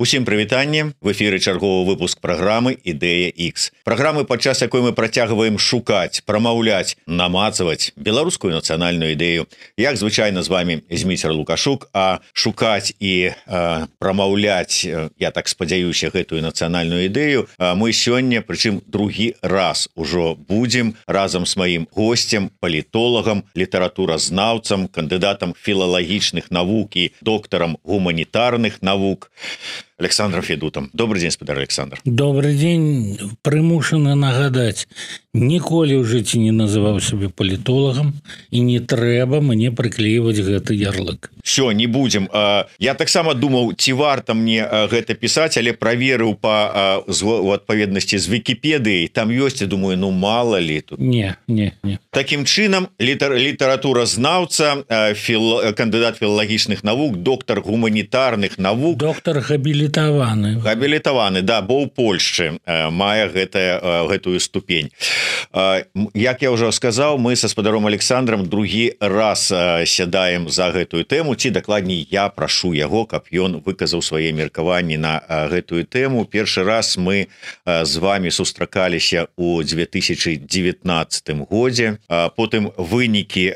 Усім прывітанне, в эфіры чарговы выпуск праграмы «Ідэя X». Праграмы, падчас якой мы працягваем шукаць, прамаўляць, намацаваць беларускую нацыянальную ідэю. Як звычайна з вами Зміцер Лукашук, а шукаць і прамаўляць, я так спадзяюся, гэтую нацыянальную ідэю мы сёння, прычым другі раз ужо будзем разам з маім госцем, палітолагам, літаратуразнаўцам, кандыдатам філалагічных навук і доктарам гуманітарных навук Александром Федутом. Добрый день, спадар Александр. Добрый день. Прымушаны нагадаць, ніколі ў жыцці не называў сябе палітолагам і не трэба мне прыклейваць гэты ярлык. Все, не будем. Я таксама думаў, ці варта мне гэта пісаць, але праверыў у адпаведнасці з Вікіпедыяй. Там ёсць, я думаю, мало ли тут. Не. Такім чынам, літаратуразнаўца, кандыдат філалагічных навук, доктар гуманітарных навук. Доктар габілітаваны. Габілітаваны, да, бо ў Польшчы мае гэтую ступень. Як я ўжо сказаў, мы са спадаром Александром другі раз сядаем за гэтую тэму, ці дакладней я прашу яго, каб ён выказаў свае меркаванні на гэтую тэму. Першы раз мы з вами сустракаліся ў 2019 годзе. Потым вынікі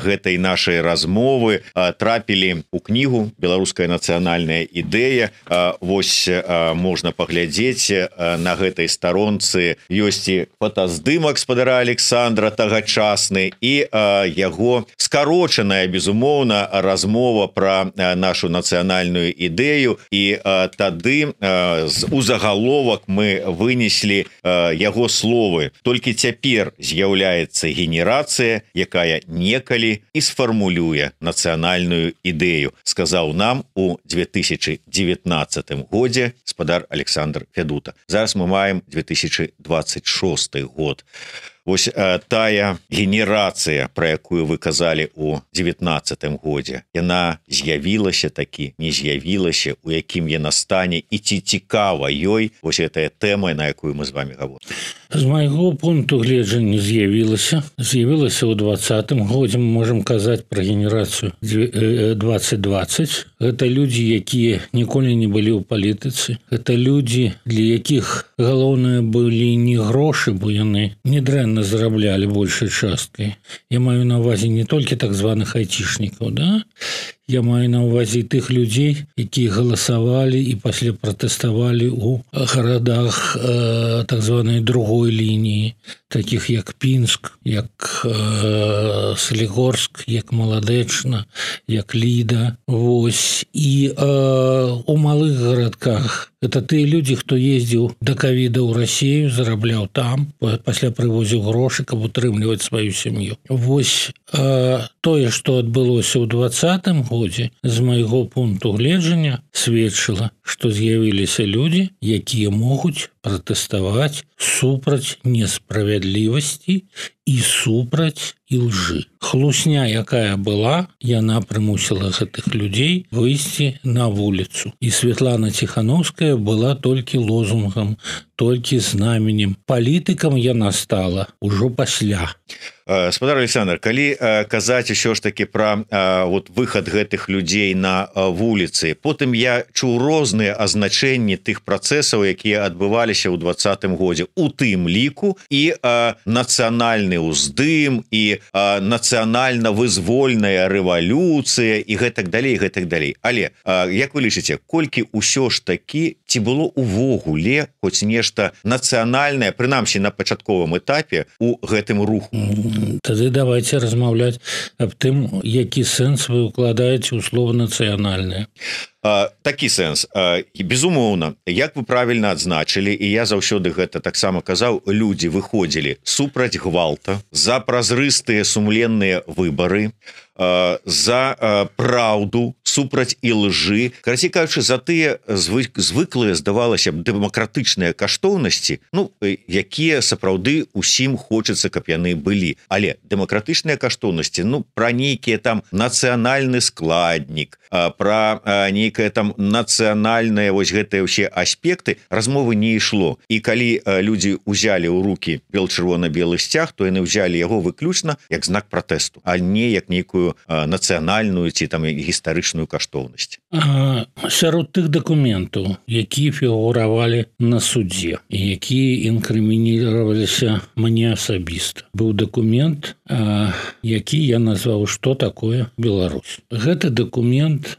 гэтай нашай размовы трапілі ў кнігу «Беларуская нацыянальная ідэя». Вось можна паглядзець, на гэтай старонцы ёсць і фотаздымак спадара Александра тагачасны і яго скарочаная, безумоўна, размова пра нашу нацыянальную ідэю, і тады у загаловак мы вынеслі яго словы. Толькі цяпер з'яўляецца генерацыя, якая некалі і сфармулюе нацыянальную ідэю, сказаў нам у 2019 годзе спадар Александр Федута. Зараз мы маем 2026 год. Вось тая генерацыя, пра якую вы казалі ў 19 годзе, яна з'явілася такі, не з'явілася, у якім яна стане і ці цікава ёй вось гэтая тэма, на якую мы з вами гаворым. З майго пункту гледжання з'явілася ў 20 годзе. Мы можам казаць пра генерацыю 2020. Гэта людзі, якія ніколі не былі ў палітыцы. Гэта людзі, для якіх галоўнае былі не грошы, бо яны недрэнна зараблялі большай часткай. Я маю на ўвазе не толькі так званых айцішнікаў, да? Я маю на ўвазе тых людзей, якія галасавалі і пасля пратэставалі ў гарадах так званай другой лініі, такіх як Пінск, як Салігорск, як Маладэчна, як Ліда. Вось. І у малых гарадках гэта тыя людзі, хто ездзіў да ковіда ў Расію, зарабляў там, пасля прывозіў грошы, каб утрымліваць сваю сям'ю. Вось тое, што адбылося ў 20 годзе, з майго пункту гледжання сведчыла, што з'явіліся людзі, якія могуць пратэставаць супраць несправядлівасці і супраць ілжы. Хлусня, якая была, яна прымусіла гэтых людзей выйсці на вуліцу. І Святлана Ціхановская была толькі лозунгам, толькі знаменем. Палітыкам яна стала ўжо пасля. Спадар Александр, калі казаць усё ж такі пра выхад гэтых людзей на вуліцы, потым я чуў розныя азначэнні тых працэсаў, якія адбываліся ў 20 годзе, у тым ліку і нацыянальны ўздым, і нацыянальна-вызвольная рэвалюцыя, і гэтак далей, гэтак далей. Але, як вы лічыце, колькі ўсё ж такі, ці было увогуле хоць нешта нацыянальнае, прынамсі на пачатковым этапе, у гэтым руху? Тады давайте размаўляць аб тым, які сэнс вы укладаеце ў слова нацыянальнае. Такі сэнс. Безумоўна, як вы правільна адзначылі, і я заўсёды гэта таксама казаў, людзі выходзілі супраць гвалта, за празрыстыя сумленныя выбары, за праўду, супраць ілжы, карацей кажучы, за тыя звыклыя, здавалася б, дэмакратычныя каштоўнасці, якія сапраўды усім хочацца, каб яны былі. Але дэмакратычныя каштоўнасці, пра нейкія там нацыянальны складнік, пра нейкае там нацыянальнае, вось гэтыя ўсе аспекты размовы не ішло. І калі людзі ўзялі ў рукі бел-чырвона-белы сцяг, то яны ўзялі яго выключна як знак пратэсту, а не як нейкую нацыянальную ці там гістарычную каштоўнасць. Сярод тых дакументаў, якія фігуравалі на судзе і якія інкрымініваліся мне асабіста, быў дакумент, які я назваў «Што такое Беларусь». Гэты дакумент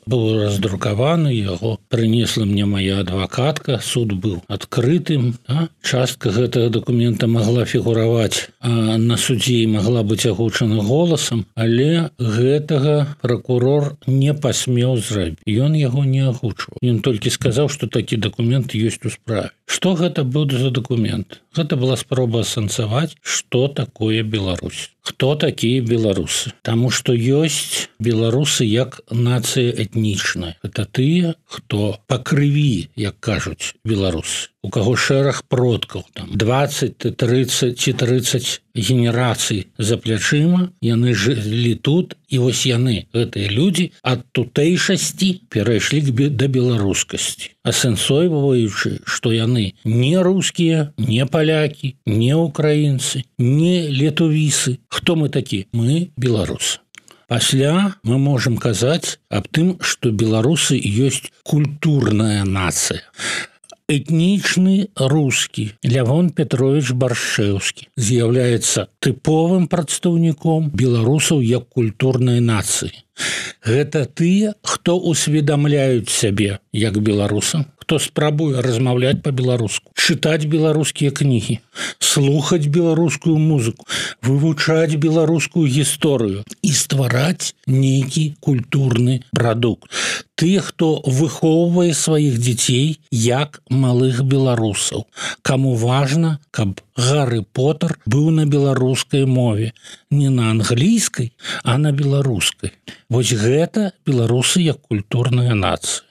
быў раздрукаваны, яго прынесла мне моя адвакатка, суд быў адкрытым. Частка гэтага дакумента магла фігураваць на судзе і магла быць агучана голасам, але гэтага пракурор не пасмеў зрабіць. Ён яго не агучваў. Ён толькі сказаў, што такі дакумент ёсць у справе. Што гэта быў за дакумент? Гэта была спроба асэнсаваць, што такое Беларусь. Хто такія беларусы? Таму што ёсць беларусы як нацыя этнічная. Это тыя, хто па крыві, як кажуць беларусы. У каго шэраг продкаў, там 20, 30 ці 30 генерацый за плячыма, яны жылі тут, і вось яны, гэтыя людзі, ад тутэйшасці перайшлі да беларускасці, асэнсоўваючы, што яны не рускія, не палякі, не украінцы, не летувісы. Хто мы такі? Мы беларусы. Пасля мы можам казаць аб тым, што беларусы ёсць культурная нацыя. Этнічны рускі Лявон Петрович Баршэўскі з'яўляецца тыповым прадстаўніком беларусаў як культурнай нацыі. Гэта тыя, хто усведамляюць сябе як беларусам, хто спрабуе размаўляць па-беларуску, чытаць беларускія кнігі, слухаць беларускую музыку, вывучаць беларускую гісторыю і ствараць нейкі культурны прадукт. Тыя, хто выхоўвае сваіх дзяцей як малых беларусаў, каму важна, каб Гары Потэр быў на беларускай мове, не на англійскай, а на беларускай. Вось гэта беларусы як культурная нацыя.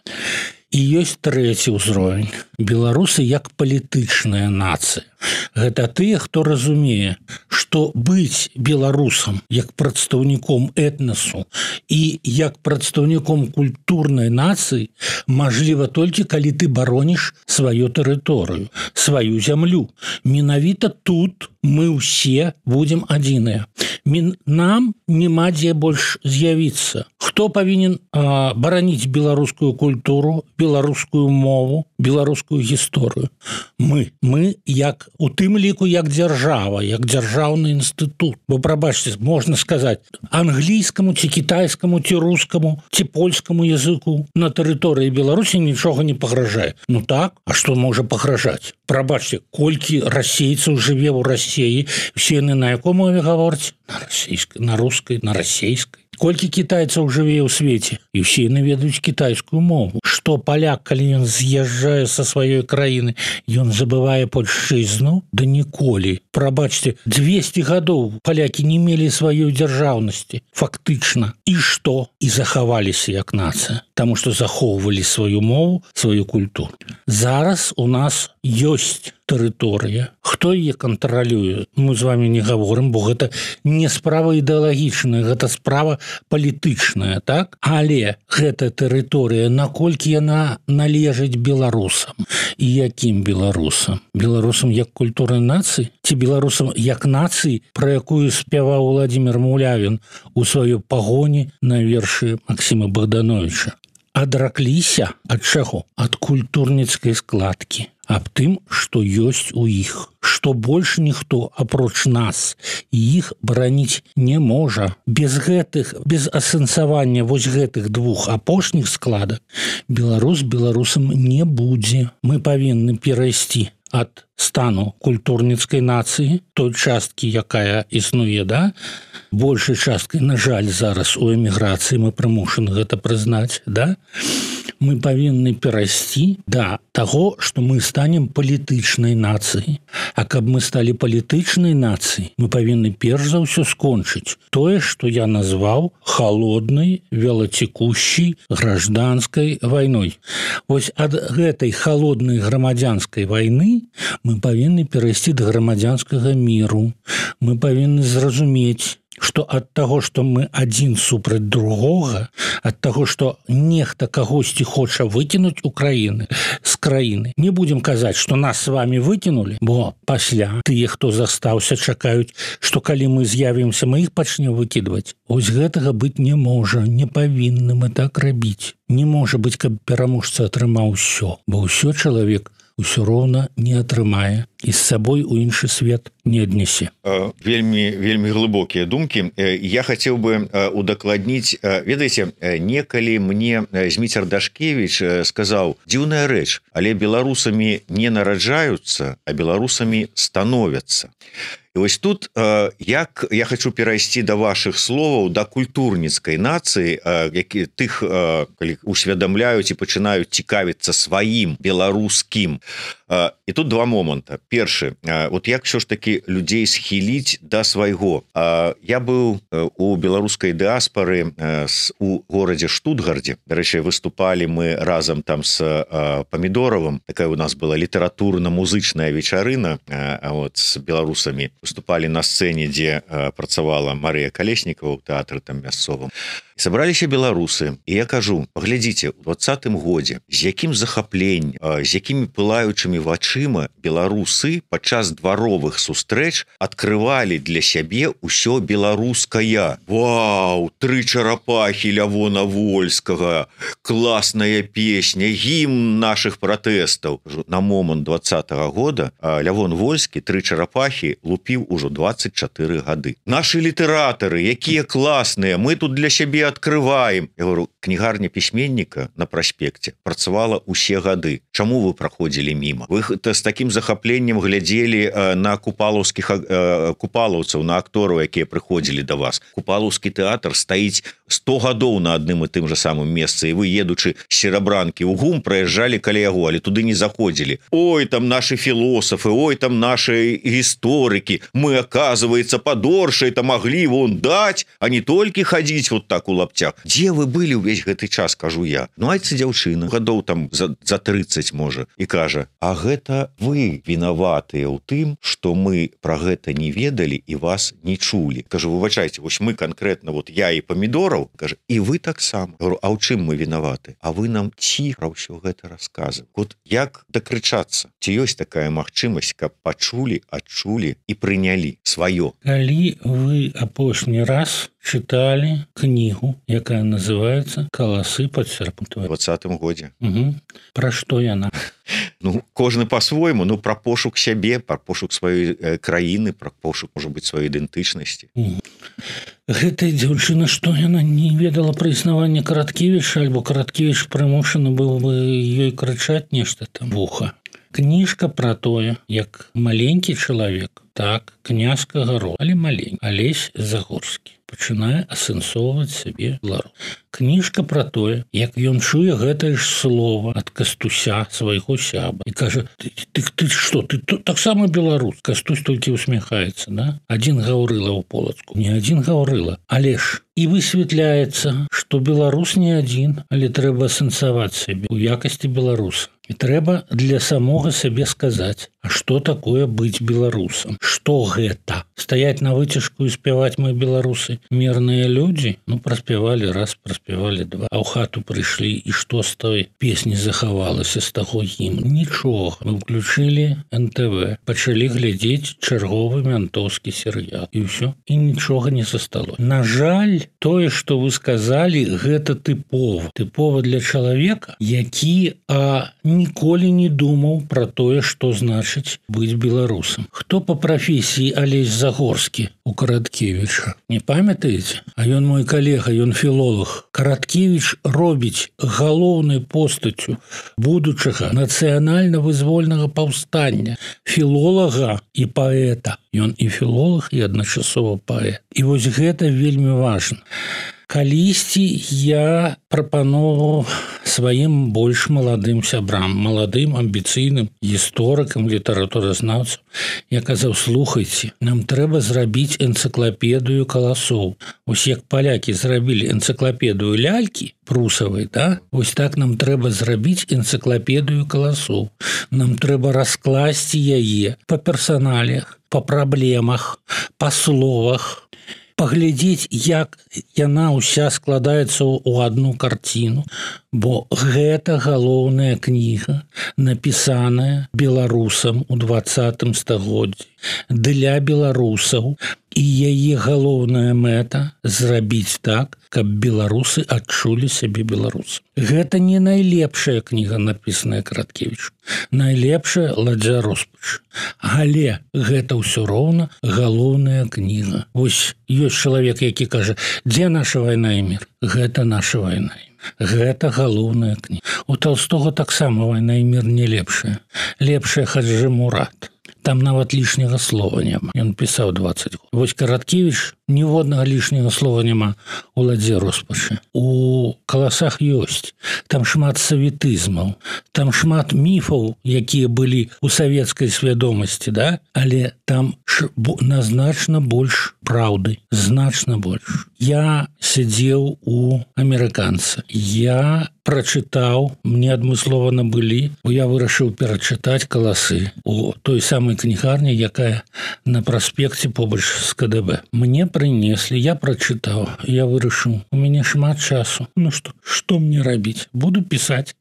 І ёсць трэці ўзровень. Беларусы як палітычная нацыя. Гэта тыя, хто разумее, што быць беларусам як прадстаўніком этнасу і як прадстаўніком культурнай нацыі мажліва толькі калі ты бароніш сваю тэрыторыю, сваю зямлю. Менавіта тут мы ўсе будзем адзіныя. Нам няма дзе больш з'явіцца. Хто павінен бараніць беларускую культуру, беларускую мову, беларускую гісторыю? Мы як у тым ліку як дзяржава, як дзяржаўны інстытут. Бо, прабачце, можна сказаць, англійскаму ці кітайскаму ці рускаму ці польскаму языку на тэрыторыі Беларусі нічога не пагражае. Ну так, а што можа пагражаць? Прабачце, колькі расейцаў жыве ў Расіі, усе яны на якой мове гавораць? На расійскай, на рускай, на расейскай. Колькі кітайцаў жыве ў свеце, і ўсе яны ведаюць кітайскую мову. Што паляк, калі ён з'язджае са сваёй краіны, ён забывае польшчызну? Да ніколі. Прабачце, 200 гадоў палякі не мелі сваёй дзяржаўнасці. Фактычна. І што? І захаваліся як нацыя. Таму што захоўвалі сваю мову, сваю культуру. Зараз у нас ёсць тэрыторыя. Хто яе кантралюе? Мы з вами не гаворым, бо гэта не справа ідэалагічная, гэта справа палітычная, так? Але гэта тэрыторыя, наколькі яна належыць беларусам? І якім беларусам? Беларусам як культурнай нацыі? Ці беларусам як нацыі, пра якую спяваў Владзімір Мулявін у сваёй пагоні на вершы Максіма Богдановича? Адракліся ад чаго? Ад культурніцкай складкі. Аб тым, што ёсць у іх, што больш ніхто, апроч нас, іх бараніць не можа. Без асэнсавання вось гэтых двух апошніх складак беларус беларусам не будзе. Мы павінны перайсці ад стану культурніцкай нацыі, той часткі, якая існуе, да? Большай часткай, на жаль, зараз у эміграцыі мы прымушаны гэта прызнаць, да? Мы павінны перайсці да таго, што мы станем палітычнай нацыяй. А каб мы сталі палітычнай нацыяй, мы павінны перш за ўсё скончыць тое, што я назваў халоднай, велацекущай гражданскай вайной. Вось ад гэтай халоднай грамадзянскай вайны мы павінны перайсці да грамадзянскага міру. Мы павінны зразумець, что ад таго, што мы адзін супраць другога, ад таго, што нехта кагосьці хоча выкінуць Украіны з краіны. Не будзем казаць, што нас с вами выкінулі, бо пасля тыя, хто застаўся, чакаюць, што калі мы з'явімся, мы іх пачнем выкідваць. Вось гэтага быць не можа, не павінны мы так рабіць. Не можа быць, каб пераможца атрымаў усё, бо ўсё чалавек усё роўна не атрымае і з сабой у іншы свет не аднясе. Вельмі глыбокія думкі. Я хацеў бы удакладніць, ведаеце, некалі мне Зміцер Дашкевіч сказаў: дзіўная рэч, але беларусамі не нараджаюцца, а беларусамі становяцца. І вось тут як я хочу перайсці да вашых словаў, да культурніцкай нацыі, які тых, калі усведамляюць і пачынаюць цікавіцца сваім беларускім. І тут два моманта. Першы, вот як все ж таки людзей схіліць да свайго. Я быў у беларускай дыаспары у горадзе Штутгардзе. Дарэчы, выступалі мы разам там з Памідоровым. Такая у нас была літаратурна-музычная вечарына з беларусамі. Выступалі на сцэне, дзе працавала Марыя Калеснікова ў тэатры там мясцовым. Сабраліся беларусы, і я кажу: паглядзіце, у 20-м годзе, з якім захапленнем, з якімі пылаючымі вачыма беларусы падчас дваровых сустрэч адкрывалі для сябе ўсё беларускае. Вау, 3 чарапахі Лявона Вольскага, класная песня, гімн нашых пратэстаў. На момант 20-го года Лявон Вольскі 3 чарапахі лупіў ужо 24 гады. Нашы літаратары, якія класныя, мы тут для сябе открываем. Я говорю, кнігарня пісьменніка на праспекце працавала ўсе гады. Чаму вы праходзілі міма? Вы з такім захапленнем глядзелі на купалаўцаў, на актораў, якія прыходзілі да вас. Купалаўскі тэатр стаіць 100 гадоў на адным і тым жа самым месцы, і вы, едучы з Серабранкі ў ГУМ, праязджалі каля яго, але туды не заходзілі. Ой, там нашы філосафы, ой, там нашы гісторыкі. Мы, оказывается, падоршай-то маглі вон даць, а не толькі хадзіць вот так у лаптях. Дзе вы былі ўвесь гэты час, кажу я. Ну, айце дзяўчына, гадоў там за 30, можа, і кажа: а гэта вы вінаватыя ў тым, што мы пра гэта не ведалі і вас не чулі. Кажу, выбачайце, вось мы канкрэтна, вот я і Памідораў, кажа, і вы таксама. Говорю, а ў чым мы вінаваты? А вы нам ціха ўсё гэта расказваеце. Вот як дакрычацца? Ці ёсць такая магчымасць, каб пачулі, адчулі і прынялі сваё? Калі вы апошні раз чыталі кнігу, якая называецца «Каласы падсерпнутыя» у 20-м годзе. Пра што яна? Ну, кожны по-свойму, ну, пра пошук сябе, пра пошук сваёй краіны, пра пошук, можа быць, сваёй ідэнтычнасці. Гэтая дзяўчына, што яна не ведала пра існаванне Караткевіча, альбо Караткевіч прымушаны быў бы ёй крычаць нешта там вуха. Кніжка пра тое, як маленькі чалавек, так, князькага роду, але маленькі, Алесь Загорскі пачынае асэнсоўваць сябе беларус. Кніжка пра тое, як ён чуе гэтае ж слова ад Кастуся, свайго сябра, і кажа: ты што, ты таксама беларус? Кастусь толькі усміхаецца, да? Адзін Гаўрыла ў Полацку, не адзін Гаўрыла, але ж і высвятляецца, што беларус не адзін, але трэба асэнсаваць сябе у якасці беларуса. І трэба для самога сябе сказаць, а што такое быць беларусам? Што гэта? Стаяць на выцяжку і спяваць мы беларусы мірныя людзі? Ну, праспявалі раз, праспявалі два, а ў хату прыйшлі, і што з той песні захавалася, з таго гімну? Нічога. Мы ўключылі НТВ, пачалі глядзець чарговы мянтоўскі серыял, і ўсё, і нічога не засталося. На жаль, тое, што вы сказалі, гэта тыпова для чалавека, які ніколі не думаў пра тое, што значыць быць беларусам. Хто па прафесіі Алесь Загорскі у Караткевіча? Не памятаеце? А ён мой калега, ён філолог. Караткевіч робіць галоўнай постаццю будучага нацыянальна-вызвольнага паўстання філолага і паэта. Ён і філолог, і адначасова паэт. І вось гэта вельмі важна. Калісьці я прапановаў сваім больш маладым сябрам, маладым, амбіцыйным гісторыкам, літаратуразнаўцам. Я казаў, слухайце, нам трэба зрабіць энцыклапедыю каласоў. Вось як палякі зрабілі энцыклапедыю лялькі прусавай, да? Вось так нам трэба зрабіць энцыклапедыю каласоў. Нам трэба раскласці яе па персаналіях, па праблемах, па словах, паглядзець, як яна ўся складаецца ў одну карціну, бо гэта галоўная кніга, напісаная беларусам у 20 стагоддзі для беларусаў, і яе галоўная мэта зрабіць так, каб беларусы адчулі сябе беларусам. Гэта не найлепшая кніга, напісаная Караткевічам. Найлепшая Ладзя Роспач. Але гэта ўсё роўна галоўная кніга. Вось ёсць чалавек, які кажа: дзе наша вайна і мір? Гэта наша вайна і мір. Гэта галоўная кніга. У Толстога таксама вайна і мір не лепшая. Лепшая Хаджы Мурат. Там нават лішняга слова няма. Ён пісаў 20 год. Вось Караткевіч ніводнага лішняга слова няма у Ладзе Роспачы. У каласах ёсць. Там шмат саветызмаў, там шмат міфаў, якія былі ў савецкай свядомасці, да? Але там значна больш праўды, значна больш. Я сядзеў у амерыканца. Я прачытаў, мне адмыслова набылі, бо я вырашыў перачытаць каласы у той самай кнігарні, якая на праспекце побач з КДБ. Мне прынеслі, я прачытаў, я вырашыў, у мяне шмат часу. Ну што мне рабіць? Буду пісаць.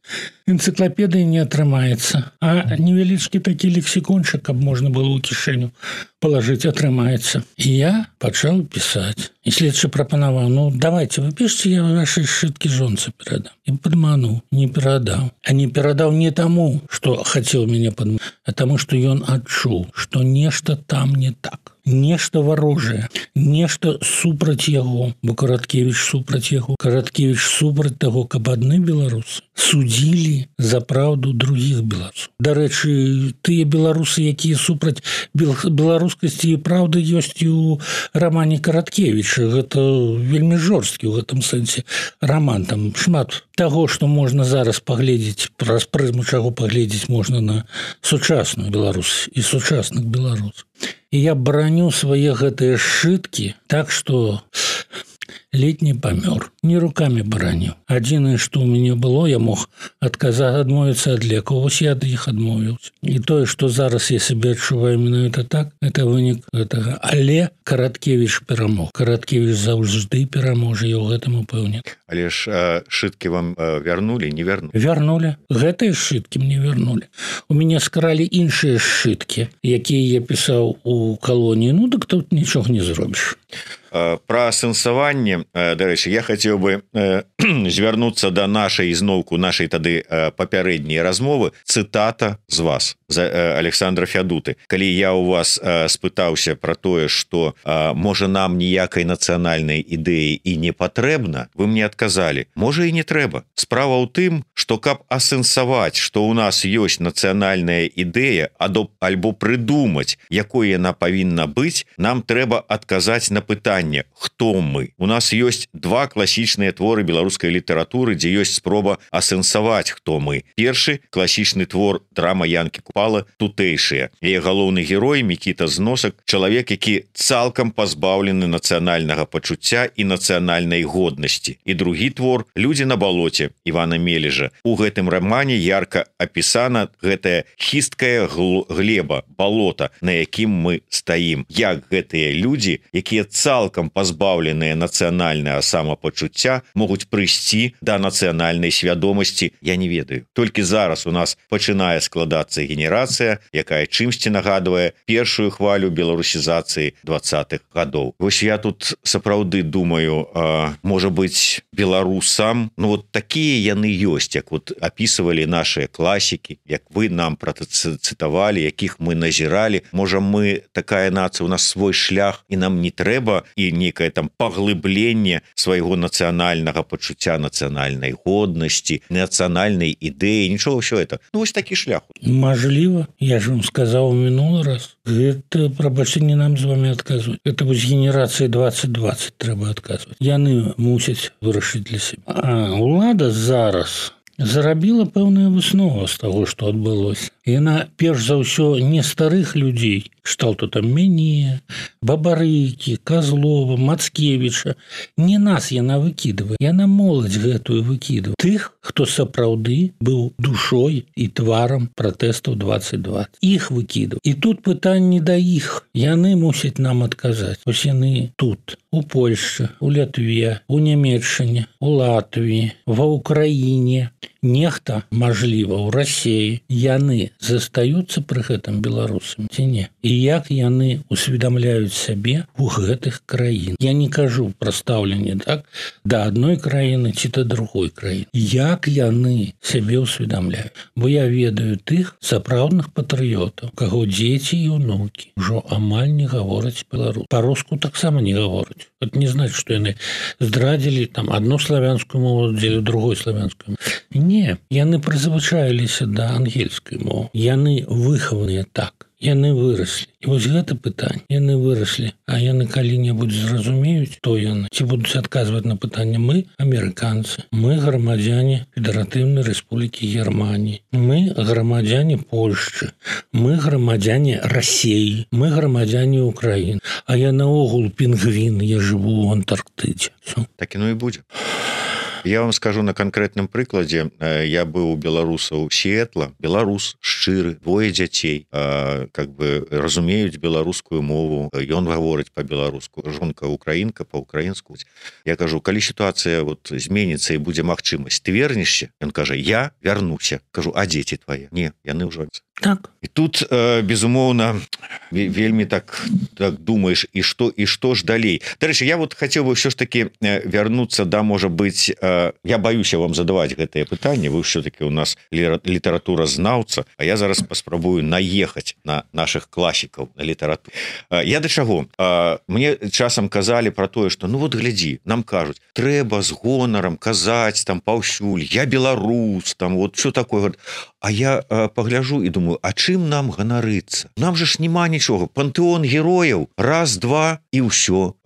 Энцыклапедыі не атрымаецца, а невялічкі такі лексікончык, каб можна было ў кішэню палажыць, атрымаецца. І я пачаў пісаць. І следчы прапанаваў: ну, давайте, вы пішце, я вашай сшыткі жонцы перадам. І падмануў, не перадаў. А не перадаў не таму, што хацеў мяне падмануць, а таму, што ён адчуў, што нешта там не так. Нешта варожае, нешта супраць яго, бо Караткевіч супраць яго. Караткевіч супраць таго, каб адны беларусы судзілі за праўду другіх беларусаў. Дарэчы, тыя беларусы, якія супраць беларускасці і праўды, ёсць і ў рамане Караткевіча. Гэта вельмі жорсткі ў гэтым сэнсе раман. Там шмат таго, што можна зараз паглядзець, праз прызму чаго паглядзець можна на сучасную Беларусь і сучасных беларусаў. І я браню свае гэтыя сшыткі так, што ледь не памёр. Не рукамі бараніў. Адзінае, што ў мяне было, я мог адмовіцца ад лекаў. Вось я ад іх адмовіўся. І тое, што зараз я сябе адчуваю менавіта так, это вынік гэтага. Але Караткевіч перамог. Караткевіч заўжды пераможа, я ў гэтым упэўнены. Але ж сшыткі вам вярнулі, не вярнулі? Вярнулі. Гэтыя сшыткі мне вярнулі. У мяне скаралі іншыя сшыткі, якія я пісаў у калоніі. Ну, дык тут нічога не зробіш. Пра асэнсаванне, дарэчы, я хацеў бы звярнуцца да нашай ізноўку, нашай тады папярэдняй размовы. Цытата з вас, з Александра Фядуты. Калі я ў вас спытаўся пра тое, што можа нам ніякай нацыянальнай ідэі і не патрэбна, вы мне адказалі: можа і не трэба. Справа ў тым, што каб асэнсаваць, што ў нас ёсць нацыянальная ідэя, альбо прыдумаць, якой яна павінна быць, нам трэба адказаць на пытанне: хто мы? У нас ёсць два класічныя творы беларускай літаратуры, дзе ёсць спроба асэнсаваць, хто мы. Першы класічны твор драма Янкі Купала «Тутэйшыя». Яе галоўны герой Мікіта Зносак, чалавек, які цалкам пазбаўлены нацыянальнага пачуцця і нацыянальнай годнасці. І другі твор «Людзі на балоце» Івана Мележа. У гэтым рамане ярка апісана гэтая хісткая глеба, балота, на якім мы стаім. Як гэтыя людзі, якія цалкам пазбаўленыя нацыянальнага самапачуцця, могуць прыйсці да нацыянальнай свядомасці, я не ведаю. Толькі зараз у нас пачынае складацца генерацыя, якая чымсьці нагадвае першую хвалю беларусізацыі 20-х гадоў. Вось я тут сапраўды думаю, можа быць, беларусам, ну вот такія яны ёсць, як вот апісывалі нашыя класікі, як вы нам працытавалі, якіх мы назіралі. Можа, мы такая нацыя, у нас свой шлях, і нам не трэба і некае там паглыбленне свайго нацыянальнага пачуцця, нацыянальнай годнасці, нацыянальнай ідэі, нічого ўсё это. Ну, вось такі шлях. Мажліва, я ж вам сказаў мінулы раз. Гэта, прабачце, не нам з вами адказваць. Это вось генерацыі 2020 трэба адказваць. Яны мусяць вырашыць для сябе. А ўлада зараз зарабіла пэўную выснову з таго, што адбылося. Яна перш за ўсё не старых людзей, кшталту там мяне, Бабарыкі, Козлова, Мацкевіча. Не нас яна выкідывае, яна моладзь гэтую выкідывае. Тых, хто сапраўды быў душой і тварам пратэстаў 2020. Іх выкідывае. І тут пытанне да іх. Яны мусяць нам адказаць. Вось яны тут, у Польшчы, у Лятве, у Нямецчыне, у Латвіі, ва Ўкраіне. Нехта, мажліва, у Расіі. Яны застаюцца пры гэтым беларусам ці не? І як яны усведамляюць сябе у гэтых краін? Я не кажу пра стаўленне так да адной краіны ці да другой краіны. Як яны сябе усведамляюць? Бо я ведаю тых сапраўдных патрыётаў, каго дзеці і ўнукі ўжо амаль не гавораць беларус. Па-руску таксама не гавораць. Это не значит, што яны здрадзілі там одну славянскую мову, дзеля другой славянскую. Не, яны прызвычаіліся да ангельскай мовы. Яны выхаваныя так. Яны выраслі. І вось гэта пытанне. Яны выраслі. А яны калі-небудзь зразумеюць, то яны. Ці будуць адказваць на пытанне мы, амерыканцы. Мы грамадзяне Федэратыўнай Рэспублікі Германії. Мы грамадзяне Польшчы. Мы грамадзяне Расіі. Мы грамадзяне Украіны. А я наогул пінгвін, я жыву ў Антарктыдзе. Так і ну і будзе. Я вам скажу на конкретным прыкладзе. Я быў у беларусаў Сіэтла, беларус шчыры, двое дзяцей, как бы разумеюць беларускую мову, ён гаворыць по-беларуску, жонка украінка по-украінску. Я кажу, калі сітуацыя вот зменіцца і будзе магчымасць, ты вернешся? Ён кажа, я вярнуся. Кажу, а дзеці твае? Не, яны ўжо. Так. І тут, безумоўна, вельмі так думаеш, і што ж далей? Дарэчы, я вот хацеў бы ўсё ж таки вярнуцца да, можа быць, я баюся вам задаваць гэтае пытанне, вы ўсё-таки у нас літаратуразнаўца, а я зараз паспрабую наехаць на наших класікаў, на літаратуру. Я да чаго? Мне часам казалі пра тое, што ну вот глядзі, нам кажуць, трэба з гонарам казаць там паўсюль, я беларус, там вот все такое. А я пагляжу і думаю, а чым нам ганарыцца? Нам же ж няма нічога. Пантэон герояў, раз, два і ўсё.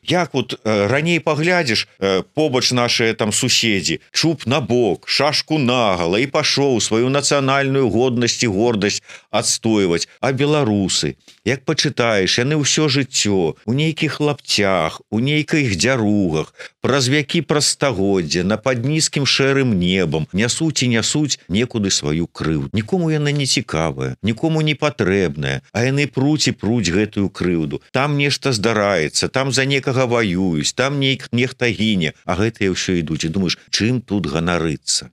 Як вот раней паглядзіш, побач нашыя там суседзі, чуб на бок, шашку нагала і пашоў сваю нацыянальную годнасць і гордасць адстойваць. А беларусы, як пачытаеш, яны ўсё жыццё у нейкіх лапцях, у нейкіх дзяругах, праз вякі, праз стагоддзя, на пад нізкім шэрым небам нясуць і нясуць некуды сваю крыўду. Нікому яна не цікавая, нікому не патрэбная, а яны пруць і пруць гэтую крыўду. Там нешта здараецца, там за некага ваююць, там нехта гіне, а гэтыя ўсё ідуць. І думаеш, чым тут ганарыцца?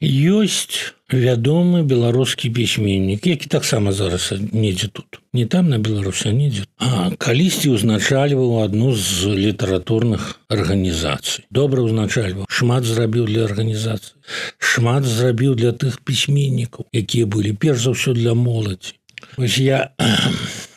Ёсць вядомы беларускі пісьменнік, які таксама зараз недзе тут. Не там на Беларусі, а недзе. А калісьці ўзначальваў адну з літаратурных арганізацый. Добра ўзначальваў. Шмат зрабіў для арганізацыі. Шмат зрабіў для тых пісьменнікаў, якія былі перш за ўсё для моладзі. Вось я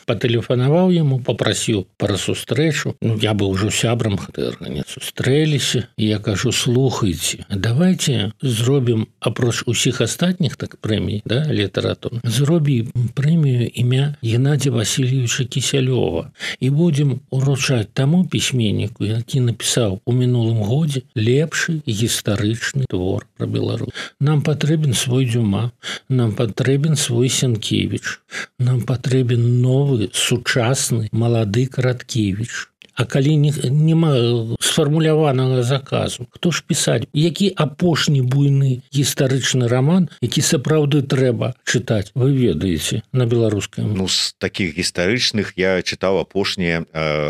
патэлефанаваў яму, попрасіў пра сустрэчу. Ну, я быў ужо сябрам гэтай арганізацыі. Сустрэліся, і я кажу, слухайце, давайте зробім, апроч усіх астатніх так прэмій, да, літаратурных, зробім прэмію імя Геннадзя Васильевича Кісялёва і будзем уручаць таму пісьменніку, які напісаў у мінулым годзе лепшы гістарычны твор пра Беларусь. Нам патрэбен свой Дюма, нам патрэбен свой Сенкевіч, нам патрэбен новы сучасны малады Караткевіч. А калі няма сфармуляванага заказу, хто ж пісаць? Які апошні буйны гістарычны раман, які сапраўды трэба чытаць, вы ведаеце, на беларускай мове? Ну, з такіх гістарычных я чытаў апошнія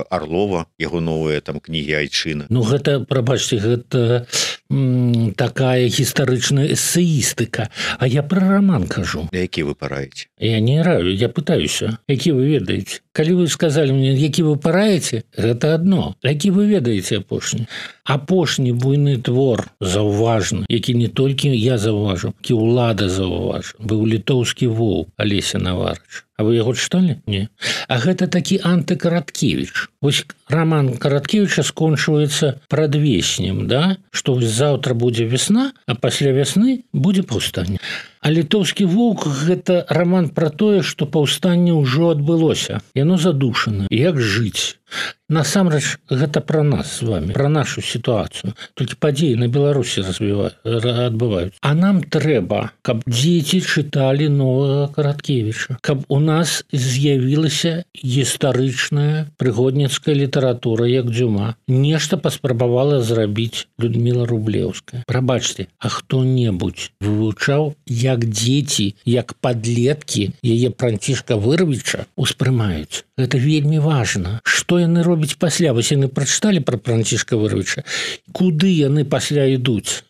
Арлова, яго новыя там кнігі айчына. Ну, гэта, прабачце, гэта такая гістарычная эсеістыка. А я пра раман кажу. Які вы параеце? Я не раю, я пытаюся. Які вы ведаеце? Калі вы сказалі мне, які вы параеце, гэта адно. Які вы ведаеце апошні? Апошні буйны твор заўважны, які не толькі я заўважу, які ўлада заўважу, быў літоўскі воў Алеся Наварыча. А вы яго чыталі? Не. А гэта такі антыкараткевіч. Вось роман Караткевіча скончваецца прадвеснем, да? Што заўтра будзе весна, а пасля вясны будзе паўстанне. А літоўскі воўк – гэта роман пра тое, што паўстанне ўжо адбылося. Яно задушана. Як жыць? Насамрэч, гэта пра нас з вами, пра нашу сітуацыю. Толькі падзеі на Беларусі адбываюцца. А нам трэба, каб дзеці чыталі новага Караткевіча, каб у нас з'явілася гістарычная прыгодніцкая літаратура, як Дзюма. Нешта паспрабавала зрабіць Людміла Рублеўская. Прабачце, а хто-небудзь вывучаў, як дзеці, як падлеткі яе Францішка Вырвіча успрымаюць? Гэта вельмі важна. Што яны робяць пасля? Вось яны прачыталі пра Францішка Вырвіча. Куды яны пасля ідуць?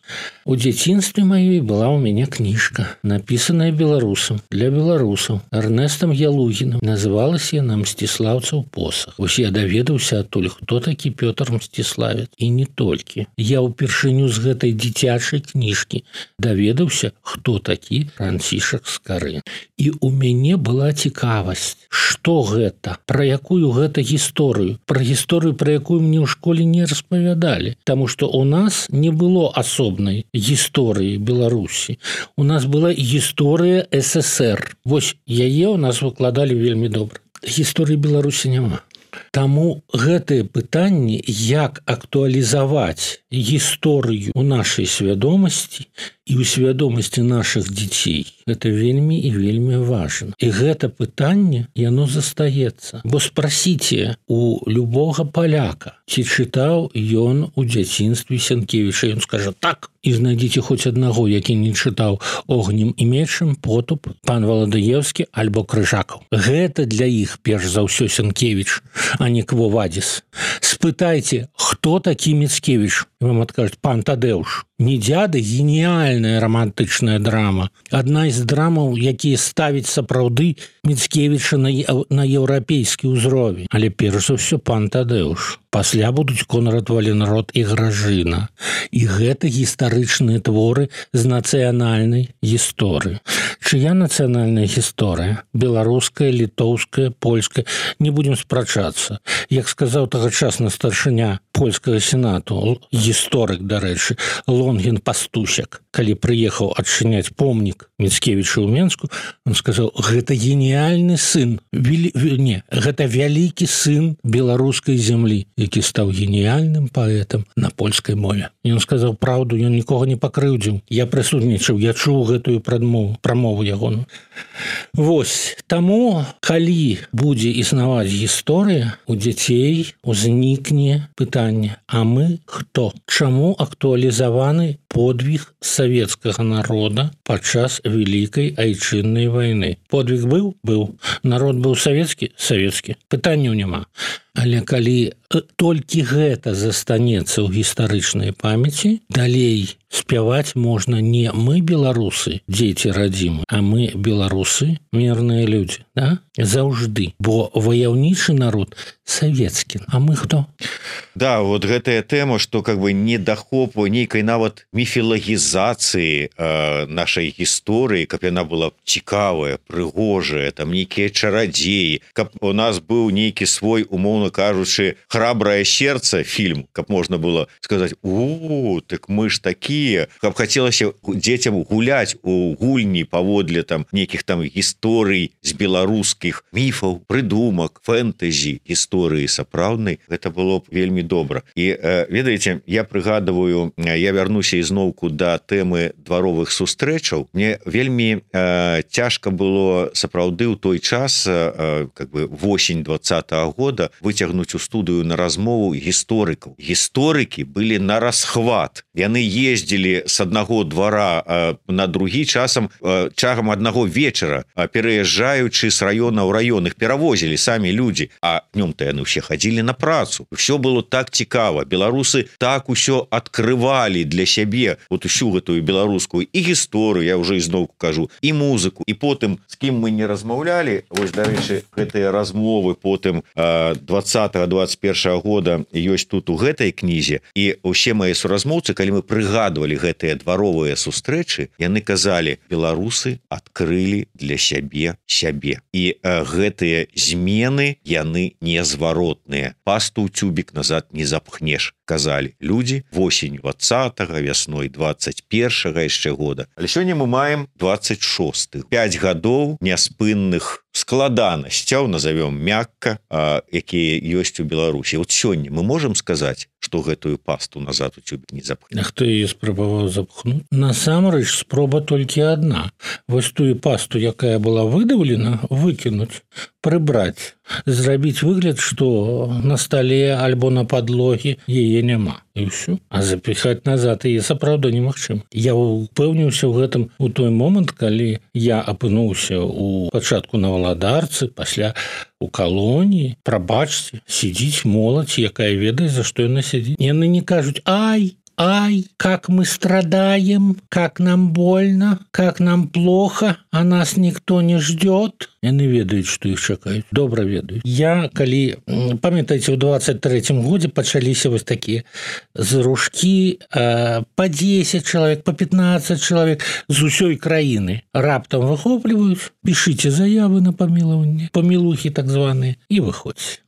У дзяцінстве маёй была ў мяне кніжка, напісаная беларусам, для беларусаў, Эрнестам Ялугіным. Называлася яна «Мсціслаўцаў посах». Вось я даведаўся адтуль, хто такі Пётр Мсціславец. І не толькі. Я ўпершыню з гэтай дзіцячай кніжкі даведаўся, хто такі Францішак Скарын. І ў мяне была цікавасць, што гэта, пра якую гэта гісторыю, пра гісторыю, пра якую мне ў школе не распавядалі. Таму што ў нас не было асобнай гісторыі Беларусі. У нас была гісторыя СССР. Вось яе ў нас выкладалі вельмі добра. Гісторыі Беларусі няма. Таму гэтыя пытанні, як актуалізаваць гісторыю ў нашай свядомасці і ў свядомасці нашых дзяцей, гэта вельмі і вельмі важна. І гэта пытанне, яно застаецца. Бо спрасіце у любога паляка, ці чытаў ён у дзяцінстве Сянкевіча. Ён скажа так. І знайдзіце хоць аднаго, які не чытаў «Огнем і мечам», «Потуп», «Пан Валадыеўскі» альбо «Крыжакаў». Гэта для іх перш за ўсё Сянкевіч, а не Кво Вадзіс. Спытайце, хто такі Міцкевіч? І вам адкажуць «Пан Тадэуш». «Не дзяды» – геніяльная романтычная драма. Адна з драмаў, якія ставяць сапраўды Міцкевіча на еўрапейскі ўзровень. Але перш за ўсё «Пан Тадэуш». Пасля будуць Конрад Валенрод і Гражына. І гэта гістарычныя творы з нацыянальнай гісторыі. Чыя нацыянальная гісторыя? Беларуская, літоўская, польская. Не будзем спрачацца. Як сказаў тагачасны старшыня польскага сенату, гісторык, дарэчы, Лонгін Пастусяк, калі прыехаў адчыняць помнік Міцкевіча ў Менску, он сказаў, гэта геніяльны сын, гэта вялікі сын беларускай зямлі, які стаў геніяльным паэтам на польскай мове. І ён сказаў праўду, ён нікога не пакрыўдзіў. Я прысутнічаў, я чуў гэтую прамову ягону. Вось, таму, калі будзе існаваць гісторыя, у дзяцей узнікне пытанне, а мы хто? Чаму актуалізаваны подвиг савецкага народа падчас Вялікай айчыннай вайны? Подвиг быў? Быў. Народ быў савецкі? Савецкі. Пытанняў няма. Але калі толькі гэта застанецца ў гістарычнай памяці, далей спяваць можна не мы беларусы, дзеці радзімы, а мы беларусы, мірныя людзі, да? Заўжды. Бо ваяўнічы народ савецкі. А мы хто? Да, вот гэтая тэма, што как бы недахопу нейкай нават міфілагізацыі нашай гісторыі, каб яна была цікавая, прыгожая, там нейкія чарадзеі, каб у нас быў нейкі свой, умоўна кажучы, «Храбрае сердце» фільм, каб можна было сказаць, так мы ж такія, каб хацелася дзецям гуляць у гульні паводле там нейкіх там гісторый з беларускіх міфаў, прыдумак, фэнтэзі, гісторыі сапраўднай, гэта было б вельмі добра. І ведаеце, я прыгадываю, я вярнуся ізноўку да тэмы дваровых сустрэчаў. Мне вельмі цяжка было сапраўды ў той час, как бы восень 20-го года, выцягнуць у студыю на размову гісторыкаў. Гісторыкі былі на расхват. Яны ездзілі з аднаго двара на другі чагам аднаго вечара, пераязджаючы з раёна ў раён. Іх перавозілі самі людзі, а днём-то яны ўсе хадзілі на працу. Усё было так цікава. Беларусы так усё адкрывалі для сябе сябе вот усю гэтую беларускую і гісторыю, я уже ізноўку кажу, і музыку, і потым з кім мы не размаўлялі, вось дарэчы гэтыя размовы потым 20-21 года ёсць тут у гэтай кнізе, і ўсе мае суразмоўцы, калі мы прыгадвалі гэтыя дваровыя сустрэчы, яны казалі, беларусы адкрылі для сябе і гэтыя змены яны незваротныя, пасту ў цюбік назад не запхнеш, казалі людзі восень 20-го, вясной 21-го яшчэ года. Але сёння мы маем 26-х, 5 гадоў няспынных складанасцяў, назовём мякка, якія ёсць у Беларусі. Вот сёння мы можам сказаць, што гэтую пасту назад у цюбік не запхнеш. А хто яе спрабаваў запхнуць? Насамрэч спроба толькі адна. Вось тую пасту, якая была выдаўлена, выкінуць, прыбраць, зрабіць выгляд, што на стале альбо на падлогі яе няма. І ўсё. А запіхаць назад яе сапраўды немагчыма. Я упэўніўся ў гэтым у той момант, калі я апынуўся у пачатку на Валадарцы, пасля у калоніі. Прабачце, сидзіць моладзь, якая ведае, за што яна сядзіць. Яны не кажуць: ай, как мы страдаем, как нам больно, как нам плохо, а нас никто не ждет. Яны ведаюць, што іх чакаюць. Добра ведаюць. Я, калі, памятаеце, у 23-м годзе пачаліся вось такія зрушкі по 10 чалавек, по 15 чалавек з усёй краіны. Раптам выхопліваюць, пішыце заявы на памілаванне, памілухі так званыя, і выходзьце.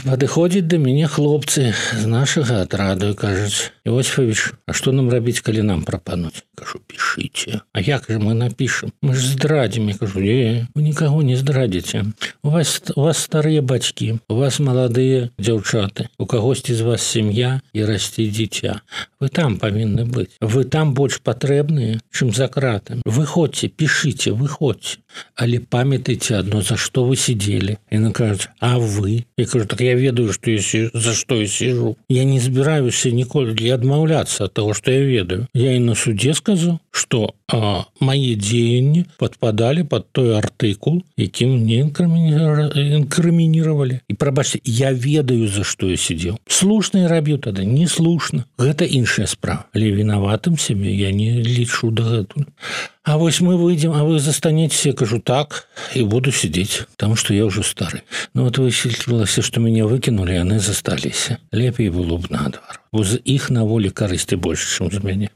Падыходзяць да мяне хлопцы з нашага атраду і кажуць: Иосифович, а што нам рабіць, калі нам прапануць? Кажу: пішыце. А як же мы напішам? Мы ж здрадзім. Я кажу: вы нікаго не здрадзіце. У вас старыя бацькі, у вас маладыя дзяўчаты, у кагосьці з вас сям'я і расце дзіця. Вы там павінны быць. Вы там больш патрэбныя, чым за кратамі. Выходзьце, пішыце, выходзьце. Але памятайце адно, за што вы сидзелі. Яны кажуць: а вы? Я кажу: так я ведаю, што за што я сижу. Я не збіраюся ніколі адмаўляцца ад таго, што я ведаю. Я і на судзе сказаў, што мае дзеянні падпадалі пад той артыкул, якім мне інкрымінировали. І прабачце, я ведаю, за што я сидзеў. Слушна я рабіў тады, не слушна. Гэта іншая справа. Але вінаватым сябе я не лічу дагэтуль. А вось мы выйдем, а вы застанетесь. Я кажу: так, и буду сидеть, потому что я уже стары. Но вот высветлілася, что меня выкинули, яны засталіся. Лепей было б наадварот. Бо з іх на волі карысці больше, чым з мяне.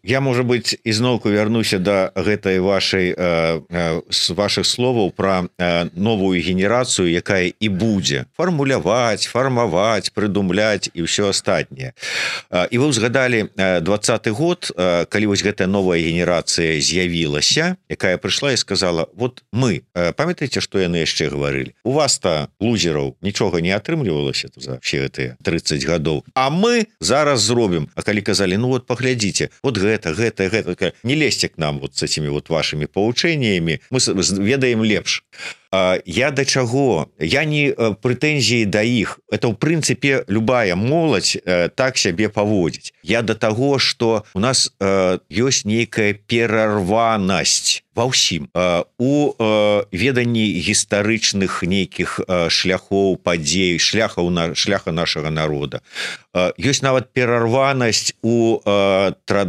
Я, можа быць, ізноўку вярнуся да гэтай вашых словаў пра новую генерацыю, якая і будзе фармуляваць, фармаваць, прыдумляць і ўсё астатняе. І вы ўзгадалі 20-й год, калі вось гэтая новая генерацыя з'явілася, якая прыйшла і сказала: вот мы, памятаеце, што яны яшчэ гаварылі? У вас-то, лузераў, нічога не атрымлівалася за ўсе гэтыя 30 гадоў. А мы зараз зробім. А калі казалі: ну вот паглядзіце, вот гэта, не лезьте к нам вот с этими вот вашими поучениями, мы ведаем лепш. Я да чаго? Я не прэтэнзіі да іх. Это, ў прынцыпе, любая моладзь так сябе паводзіць. Я да таго, што у нас ёсць нейкая перарванасць ва ўсім. У веданні гістарычных нейкіх шляхоў, падзей, шляха нашага народа. Ёсць нават перарванасць у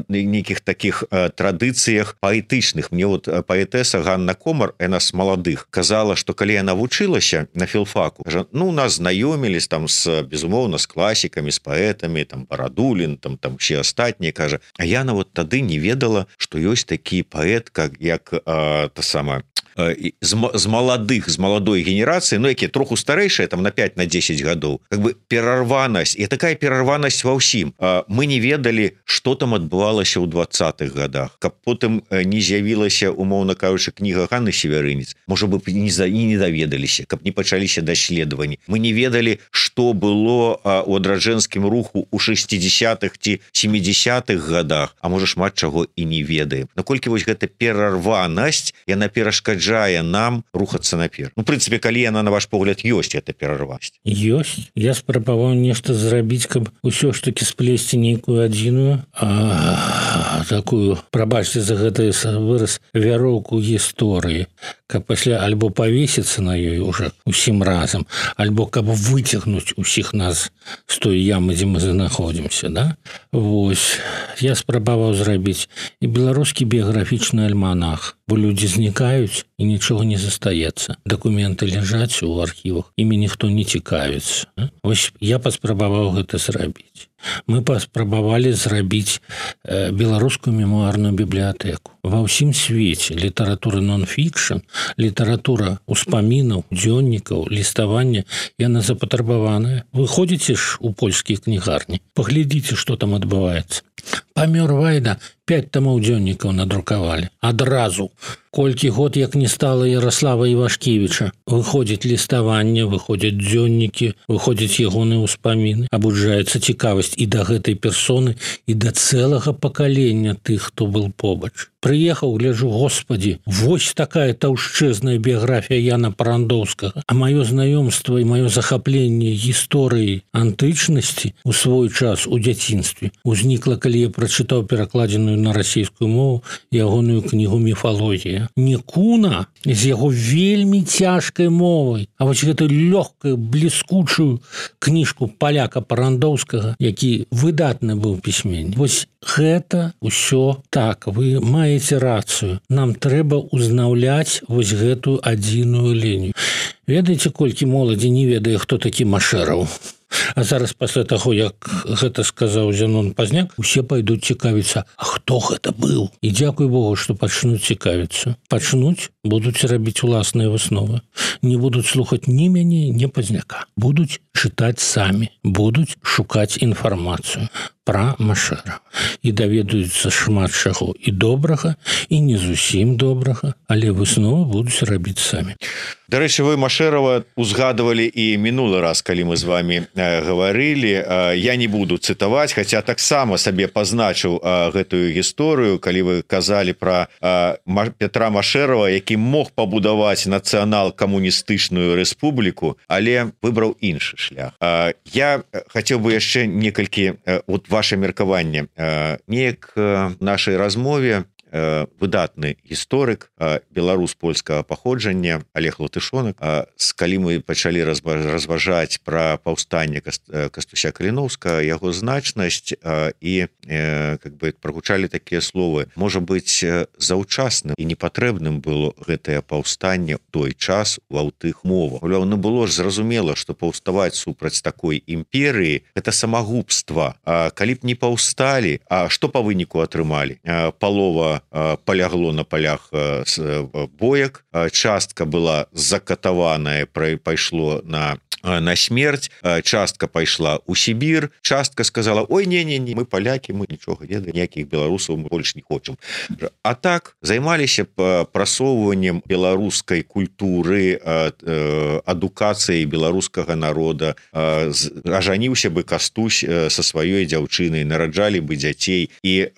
нейкіх такіх традыцыях паэтычных. Мне вот паэтэса Ганна Комар, яна з маладых, казала, што калі яна вучылася на філфаку, ну, нас знаёмілись там безумоўна з класікамі, з паэтамі, там Барадулін, там все астатнія, кажа, а яна вот тады не ведала, што ёсць такі паэт, як та сама з маладых, з маладой генерацыі, ну, якія троху старэйшыя, там на 5-10 гадоў, как бы перарванасць, і такая перарванасць ва ўсім. Мы не ведалі, што там адбывалася ў 20-х гадах, каб потым не з'явілася, умоўна кажучы, кніга Ганны Северынец, можа бы, і не даведаліся, каб не пачаліся даследаванні. Мы не ведалі, што было у адраджэнскім руху ў 60-х ці 70-х гадах, а можа шмат чаго і не ведаем. Наколькі вось гэта перарванасць, яна перашкаджае нам рухацца наперад. Ну, в прынцыпе, калі яна, на ваш погляд, ёсць, гэта перарванасць. Ёсць. Я спрабаваў нешта зрабіць, каб усё ж таки сплесці нейкую адзіную, такую, прабачце за гэты выраз, вяроўку гісторыі. каб пасля альбо павесіцца на ёй уже усім разам, альбо каб выцягнуць усіх нас з той ямы, дзе мы знаходзімся, да? Вось, я спрабаваў зрабіць і беларускі біяграфічны альманах, бо людзі знікаюць і нічога не застаецца. Дакументы ляжаць у архівах, імі ніхто не цікавіцца. Вось я паспрабаваў гэта зрабіць. Мы паспрабавалі зрабіць беларускую мемуарную бібліятэку. Ва ўсім свеце літаратура нон-фікшн, літаратура ўспамінаў, дзённікаў, ліставання, яна запатрабаваная. Вы ходзіце ж у польскія кнігарні, паглядзіце, што там адбываецца. Памёр Вайда, 5 тамоў дзённікаў надрукавалі. Адразу. Колькі год, як не стала Ярослава Івашкевіча. Выходзіць ліставанне, выходзяць дзённікі, выходзяць ягоныя ўспаміны. Абуджаецца цікавасць і да гэтай персоны, і да цэлага пакалення тых, хто был побач. Прыехаў, гляджу, господі, вось такая таўшчэзная біяграфія Яна Парандоўскага. А маё знаёмства і маё захапленне гісторыі антычнасці у свой час у дзяцінстве узнікла, калі я прачытаў перакладзеную на расійскую мову ягоную кнігу «Міфалогія». Не Куна з яго вельмі цяжкай мовай, а вось гэтую лёгкую, бліскучую кніжку паляка Парандоўскага, які выдатны быў пісьменнік. Вось гэта ўсё так, вы маеце рацыю. Нам трэба узнаўляць вось гэтую адзіную лінію. Ведаеце, колькі моладзі не ведае, хто такі Машэраў? А зараз пасля таго, як гэта сказаў Зянон Пазняк, усе пайдуць цікавіцца, а хто гэта быў? І дзякуй Богу, што пачнуць цікавіцца. Пачнуць, будуць рабіць уласныя высновы. Не будуць слухаць ні мяне, ні Пазняка. Будуць чытаць самі, будуць шукаць інфармацыю пра Машэра. І даведаюцца шмат чаго і добрага, і не зусім добрага, але высновы будуць рабіць самі. Дарэчы, вы Машэрава узгадывалі і мінулы раз, калі мы з вами гаварылі. Я не буду цытаваць, хаця таксама сабе пазначыў гэтую гісторыю, калі вы казалі пра Петра Машэрава, які мог пабудаваць нацыянал-камуністычную рэспубліку, але выбраў іншы шлях. Я хацеў бы яшчэ некалькі ваше меркаванне. Неяк в нашай размове выдатны гісторык, беларус польскага паходжання Олег Латышонак, калі мы пачалі разважаць пра паўстанне Кастуся Каліноўскага, яго значнасць і прагучалі такія словы. Можа быць, заўчасным і непатрэбным было гэтае паўстанне ў той час ва тых мовах. Ну было ж зразумела, што паўставаць супраць такой імперыі — гэта самагубства. Калі б не паўсталі, а што па выніку атрымалі? Палова полягло на полях боек, частка была закатаваная, пайшло на смерць, частка пайшла ў Сібір, частка сказала: ой, не, мы палякі, мы нічога не ведаем, ніякіх беларусаў мы больш не хочам. А так займаліся прасоўваннем беларускай культуры, адукацыяй беларускага народа, ажаніўся бы Кастусь са сваёй дзяўчынай, нараджалі бы дзяцей і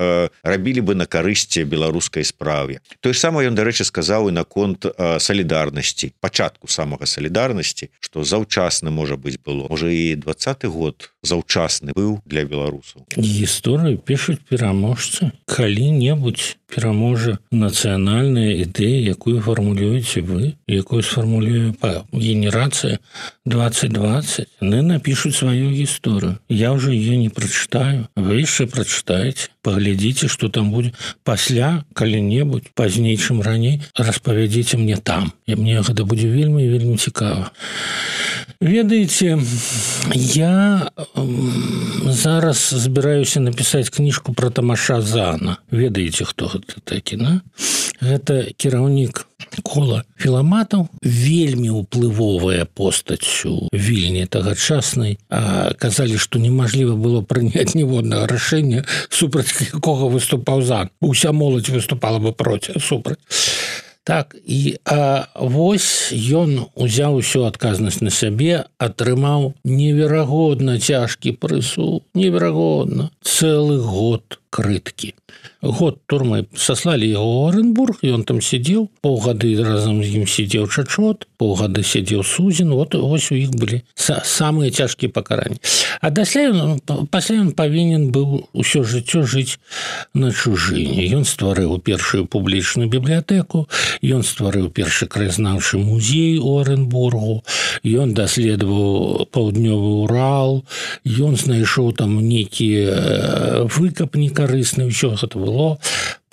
рабілі бы на карысці беларускай справе. Тое ж самае ён, дарэчы, сказаў і наконт салідарнасці, пачатку самага салідарнасці, што заўчасна, можа быць, было. Можа, і 20-й год заўчасны быў для беларусаў. Гісторыю пішуць пераможцы. Калі-небудзь пераможа нацыянальная ідэя, якую фармулюеце вы, якую сфармулюе генерацыя 2020. Яны напішуць сваю гісторыю. Я ўжо ее не прачытаю. Вы яшчэ прачытаеце. Паглядзіце, што там будзе. Пасля, калі-небудзь, пазней, чым раней, распавядзіце мне там. І мне гэта будзе вельмі і вельмі цікава. Ведаеце, я зараз збіраюся напісаць кніжку пра Тамаша Зана. Ведаеце, хто гэта такі, на? Гэта кіраўнік кола філаматаў, вельмі ўплывовая постаць у Вільні тагачаснай. Казалі, што немажліва было прыняць ніводнага рашэння, супраць якога выступаў Зан. Уся моладзь выступала бы супраць. Так, і вось ён узяў усю адказнасць на сябе, атрымаў неверагодна цяжкі прысуд, неверагодна. Цэлы год крыткі. Год турмы саслалі яго ў Оренбург, і он там сидзеў, паўгады разам з ім сидзеў Чачот, паўгады сидзеў Сузін, вот вось у іх былі самыя цяжкія пакаранні. А пасля ён павінен быў усё жыццё жыць на чужыне. Ён стварыў першую публічную бібліятэку, ён стварыў першы краязнаўчы музей у Оренбургу, ён даследаваў паўднёвы Урал, ён знайшоў там нейкія выкапні карысныя, ўсё гэта было.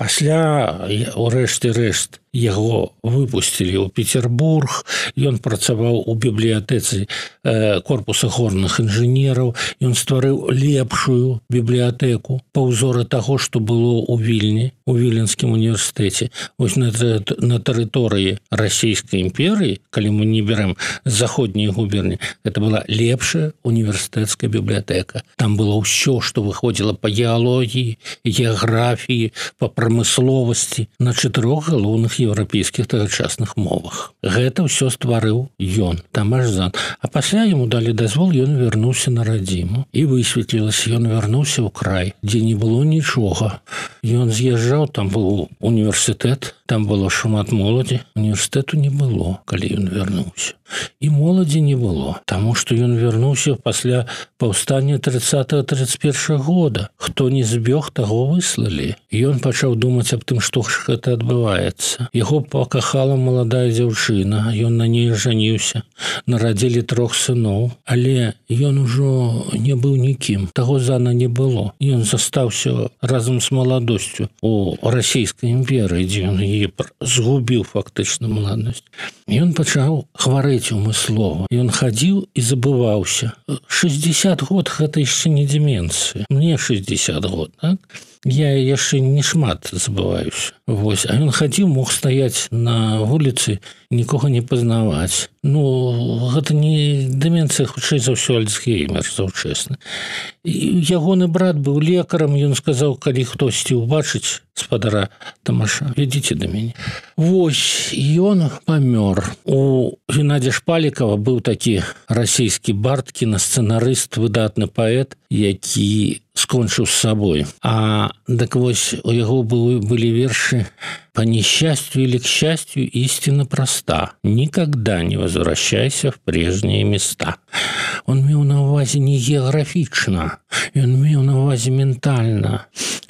Пасля, у рэшце рэшт, яго выпусцілі ў Петербург, ён працаваў у бібліятэцы корпуса горных інжынераў, ён стварыў лепшую бібліятэку па ўзоры таго, што было ў Вільні, у Віленскім універсітэце. Вось на тэрыторыі Расійскай імперыі, калі мы не берем заходнія губерні, гэта была лепшая універсітэцкая бібліятэка. Там было ўсё, што выходзіла па геалогіі, геаграфіі, па прамысловасці на 4 галоўных еўрапейскіх тагачасных мовах. Гэта ўсё стварыў ён, Тамаш Зан. А пасля яму далі дазвол, ён вярнуўся на радзіму. І высветлілася, ён вярнуўся ў край, дзе не было нічога. Ён з'язджаў, там быў універсітэт, там было шмат моладзі. Універсітэту не было, калі ён вярнуўся. І моладзі не было, таму што ён вярнуўся пасля паўстання 30-31 года. Хто не збег, таго выслалі. Ён пачаў думаць аб тым, што ж гэта адбываецца. Яго пакахала маладая дзяўчына, ён на ней жаніўся, нарадзілі 3 сыноў, але ён ужо не быў нікім, таго Зана не было. Ён застаўся разам з маладосцю у Расійскай імперыі, дзе ён яе згубіў фактычна маладосць. Ён пачаў хварэць умыслова. Ён хадзіў і забываўся. 60 год гэта яшчэ не деменцыя. Мне 60 год, так? Я яшчэ не шмат забываюся. Вось. А ён хадзіў, мог стаяць на вуліцы, нікога не пазнаваць. Ну, гэта не деменцыя, хутчэй за ўсё Альцгеймер заўчасны. Ягоны брат быў лекарам, ён сказаў, калі хтосьці ўбачыць спадара Тамаша, вядзіце да мяне. Вось, ён памёр. У Геннадзя Шпалікава быў такі расійскі бард, кінасцэнарыст, выдатны паэт, які скончыў з сабой. А так вось у яго былі вершы: «По несчастью или к счастью истина проста. Никогда не возвращайся в прежние места». Он меў на ўвазе не геаграфічна, ён меў на ўвазе ментальна.